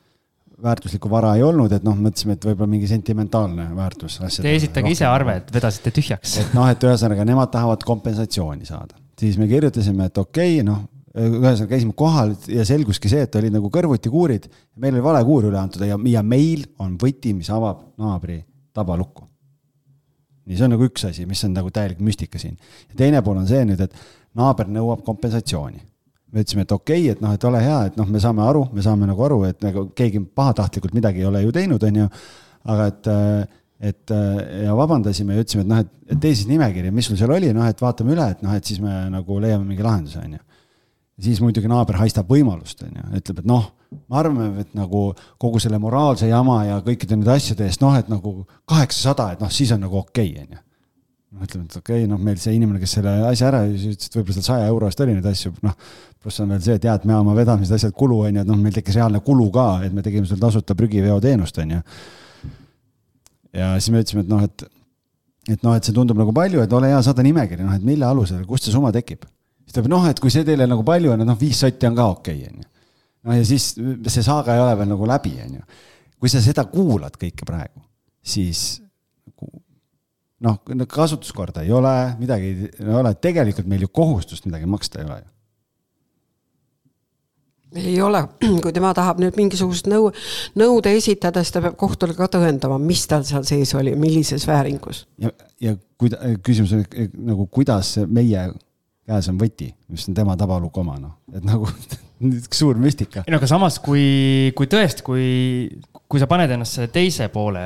väärtuslikku vara ei olnud, et noh, mõtlesime, et võib-olla mingi sentimentaalne väärtus. Te esitage ise arve, et vedasite tühjaks. Et noh, et ühesõnaga, nemad tahavad kompensatsiooni saada. Siis me kirjutasime, et okei, okay, noh, ühesõnaga käisime kohal ja selguski see, et olid nagu kõrvuti kuurid. Meil oli vale kuur üle antud ja, ja meil on võti, mis avab naabri tabalukku. Nii, see on nagu üks asi, mis on nagu täielik müstika siin. Ja teine pool on see nüüd, et naaber nõuab kompensatsiooni. Me ütlesime, et okei, okay, et noh, et ole hea, et noh, me saame aru, me saame nagu aru, et nagu keegi pahatahtlikult midagi ei ole ju teinud, on ju, aga et et ja vabandasime ja ütlesime, et noh, et, et tee siis nimekiri, mis sul seal oli, noh, et vaatame üle, et noh, et siis me nagu leiame mingi lahenduse, on ju. Siis muidugi naaber haistab võimalust, on ju, ütleb, et noh, ma arvame, et nagu kogu selle moraalse jama ja kõikide need asjade eest, noh, et nagu kaheksasada, et noh, siis on nagu okei, on ju. No, ütleme, et okei, noh, meil see inimene, kes selle asja ära, ütles, et võib-olla seal saja euro eest oli neid asju, noh, pluss on veel see, et jah, et me oma vedamised asjad kulu, on ju, et noh, meil tekkis reaalne kulu ka, et me tegime seal tasuta prügiveo teenust, on ju. Ja siis me ütlesime, et noh, et, et noh, et see tundub nagu palju, et ole hea saada nimekiri, noh, et mille alusel, kust see summa tekib. Siis ta, noh, et kui see teile nagu palju on, et noh, viis sotti on ka okei, on ju. No ja siis see saaga ei ole veel nagu läbi, on ju. Kui sa seda kuulad kõike praegu, siis noh, kasutuskorda ei ole, midagi ei ole, tegelikult meil ju kohustust midagi maksta ei ole ju. Ei ole, kui tema tahab nüüd mingisugust nõu, nõude esitada, siis ta peab kohtule ka tõendama, mis tal seal sees oli, millises vääringus. Ja, ja kuida, küsimus on nagu, kuidas meie käes on võti, mis on tema tabaluk oma, no. Et nagu üks suur müstika. Ei, no, aga samas, kui, kui tõest, kui, kui sa paned ennast selle teise poole...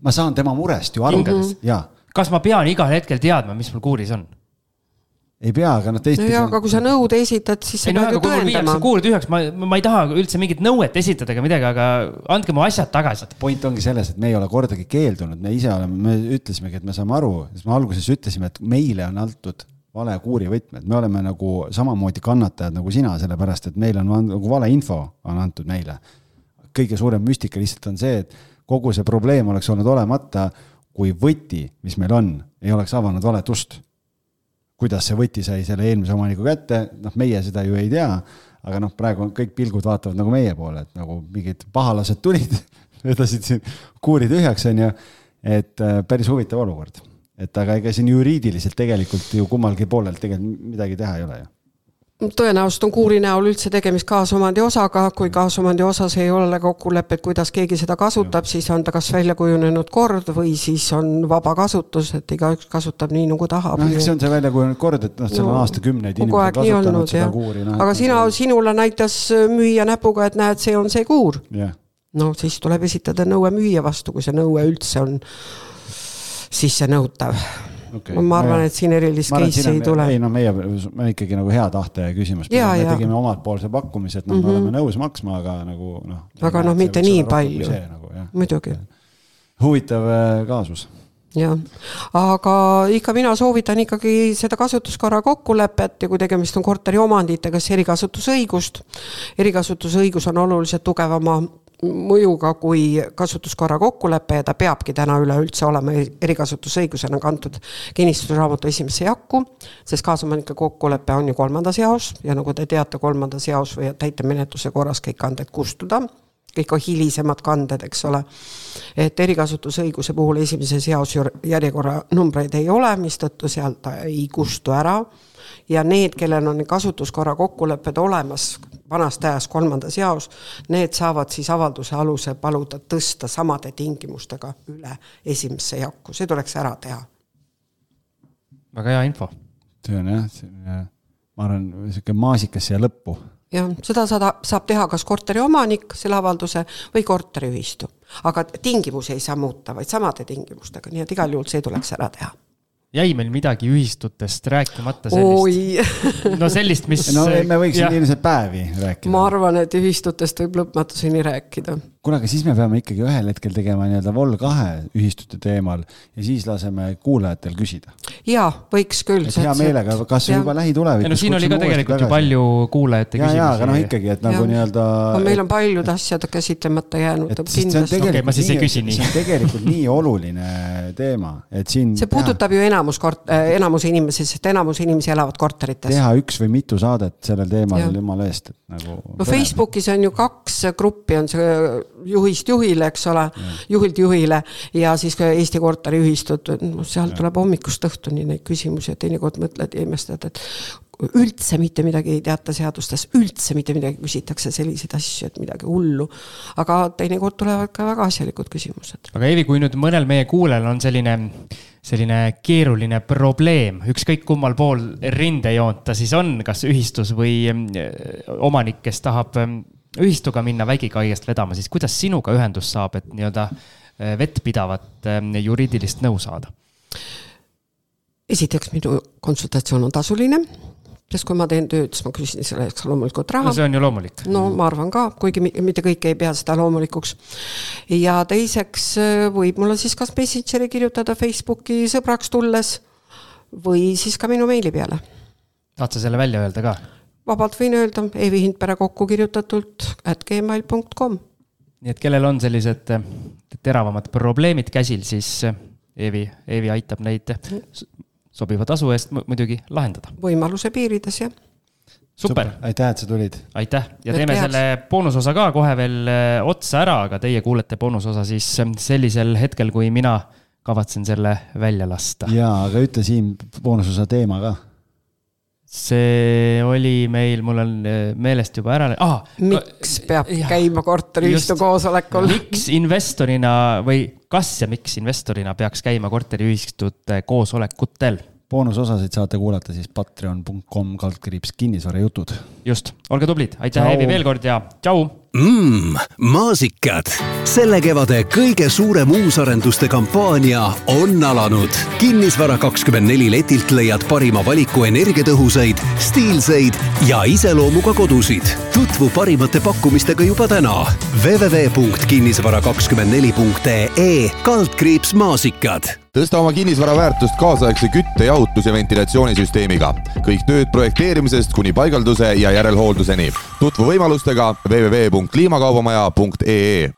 Ma saan tema murest ju aru. Ja. Kas ma pean igal hetkel teadma, mis mul kuuris on? Ei pea, aga noh teist... No jah, aga kui sa nõud esitad, siis sa pead ju tõendama. Kuurid üheks, ma, ma ei taha üldse mingit nõuet esitada ega midagi, aga andke mu asjad tagasi. Point ongi selles, et me ei ole kordagi keeldunud, me ise oleme, me ütlesimegi, et me saame aru, siis me alguses ütlesime, et meile on antud vale kuuri võtmed, me oleme nagu samamoodi kannatajad nagu sina, sellepärast, et meil on nagu vale info on antud meile. Kõige suurem müstika lihtsalt on see, et kogu see probleem oleks olnud olemata, kui võti, mis meil on, ei oleks avanud valet ust. Kuidas see võti sai selle eelmise omaniku kätte, noh, meie seda ju ei tea, aga noh, praegu kõik pilgud vaatavad nagu meie poole, et nagu mingid pahalased tulid, vedasid siin kuuri tühjaks, on ju, et päris huvitav olukord. Et aga ega siin juriidiliselt tegelikult ju kummalgi poolelt tegelikult midagi teha ei ole ju. Tõenäoliselt on kuuri näol üldse tegemist kaasomandi osaga, kui kaasomandi osas ei ole kokkulepet, kuidas keegi seda kasutab, ja. Siis on ta kas välja kujunenud kord või siis on vaba kasutus, et iga üks kasutab nii nagu tahab. No, see on see välja kujunenud kord, et noh, seal on no, aastakümneid inimesed kasutanud olnud, seda ja. Kuuri. No, aga sina, sinule näitas müüja näpuga, et näed, see on see kuur. Ja. No siis tuleb esitada nõue müüja vastu, kui see nõue üldse on sisse nõutav. Okay. Ma arvan, et siin erilist case ei tule. Ei, no meie me ikkagi nagu hea tahte küsimus. Ja, me ja. tegime omalt poolse pakkumise, et no, mm-hmm. me oleme nõus maksma, aga nagu noh. Aga noh, mitte nii palju. See, nagu, muidugi. Huvitav kaasus. Ja. Aga ikka mina soovitan ikkagi seda kasutuskorra kokkulepet ja kui tegemist on korteri omanditega, siis erikasutusõigust. Erikasutusõigus on oluliselt tugevama mõjuga kui kasutuskorra kokkulepe ja ta peabki täna üle üldse olema erikasutusõigusena kantud kinnistusraamatu esimesse jakku, sest kaasomanike kokkulepe on ju kolmandas jaos ja nagu te teate, kolmandas jaos või täitemenetluse korras kõik kanded kustuda, kõik on hilisemad kanded, eks ole. Et erikasutusõiguse puhul esimeses jaos järjekorra numbreid ei ole, mistõttu sealt ei kustu ära. Ja need, kellel on kasutuskorra kokkulepped olemas vanast ajast kolmandas jaos, need saavad siis avalduse aluse paluda tõsta samade tingimustega üle esimesse jakku. See tuleks ära teha. Väga hea info. See on jah, ma arvan, selline maasikas siia lõppu. Ja, seda saab teha kas korteri omanik, selle avalduse või korteriühistu. Aga tingimusi ei saa muuta, vaid samade tingimustega. Nii et igal juhul see tuleks ära teha. Jäi meil midagi ühistutest rääkimata sellist. Oi. No sellist, mis... No me võiksime ilmselt päevi rääkida. Ma arvan, et ühistutest võib lõpmatuseni rääkida. kuule, aga siis me peame ikkagi ühel hetkel tegema nii-öelda vol kahe ühistute teemal ja siis laseme kuulajatel küsida. Jaa, võiks küll. Et hea meelega, kas ja. juba lähitulevikus. No, siin oli ka tegelikult ju palju kuulajate ja, küsimusi. Jaa, aga noh ikkagi, et nagu nii-öelda... No, meil on paljud asjad käsitlemata jäänud. Et see on tegelikult, okay, ma siis ei küsi nii. See on tegelikult nii oluline teema, et siin... See puudutab teha, ju enamus, kort, enamus inimesi, sest enamus inimesi elavad korterites. Teha üks või mitu saadet sellel teemal jumala eest. Et nagu no Facebookis on ju kaks gruppi, on see juhist juhile, eks ole, ja. juhilt juhile ja siis ka Eesti korteri ühistud, seal tuleb hommikust õhtuni neid küsimusi ja teinekord mõtled ja imestad, et üldse mitte midagi ei teata seadustes, üldse mitte midagi küsitakse selliseid asju, et midagi hullu. Aga teinekord tulevad ka väga asjalikud küsimused. Aga Eevi, kui nüüd mõnel meie kuulel on selline, selline keeruline probleem, ükskõik kummal pool rindejoonta siis on, kas ühistus või omanik, kes tahab ühistuga minna vägikaigest vedama, siis kuidas sinuga ühendus saab, et nii-öelda vettpidavat juriidilist nõu saada? Esiteks minu konsultatsioon on tasuline, sest kui ma teen tööd, siis ma küsin selleks loomulikult raha. No see on ju loomulik. No ma arvan ka, kuigi mitte kõik ei pea seda loomulikuks. Ja teiseks võib mulle siis kas Messengeri kirjutada Facebooki sõbraks tulles või siis ka minu meili peale. Tahad sa selle välja öelda ka? Vabalt võin öelda, Eevi Hindpere kokku kirjutatult at gmail dot com. Nii et kellel on sellised teravamad probleemid käsil, siis Eevi, Eevi aitab neid sobiva tasu eest muidugi lahendada. Võimaluse piirides, jah. Super. Aitäh, et sa tulid. Aitäh. Ja teeme Aitäh. Selle boonusosa ka kohe veel otsa ära, aga teie kuulete boonusosa siis sellisel hetkel, kui mina kavatsen selle välja lasta. Jaa, aga ütle siin boonusosa teema ka. See oli meil, mul on meelest juba ära... Ah, miks peab ja, käima korteriühistu koosolekul? Miks investorina või kas ja miks investorina peaks käima korteriühistute koosolekutel? Boonusosasid saate kuulata siis patreon dot com kaldkriips kinnisvara jutud. Just, olge tublid. Aitäh Eevi veel kord ja tšau! Mmm, maasikad. Selle kevade kõige suurem uusarenduste kampaania on alanud. Kinnisvara kakskümmend neli letilt leiad parima valiku energiatõhusaid, stiilseid ja iseloomuga kodusid. Tutvu parimate pakkumistega juba täna. www dot kinnisvara kakskümmend neli dot ee kaldkriips maasikad. Tõsta oma kinnisvara väärtust kaasaegse kütte, jahutus ja ventilatsioonisüsteemiga. Kõik tööd projekteerimisest kuni paigalduse ja järelhoolduseni. Tutvu võimalustega www dot kliimakaubamaja dot ee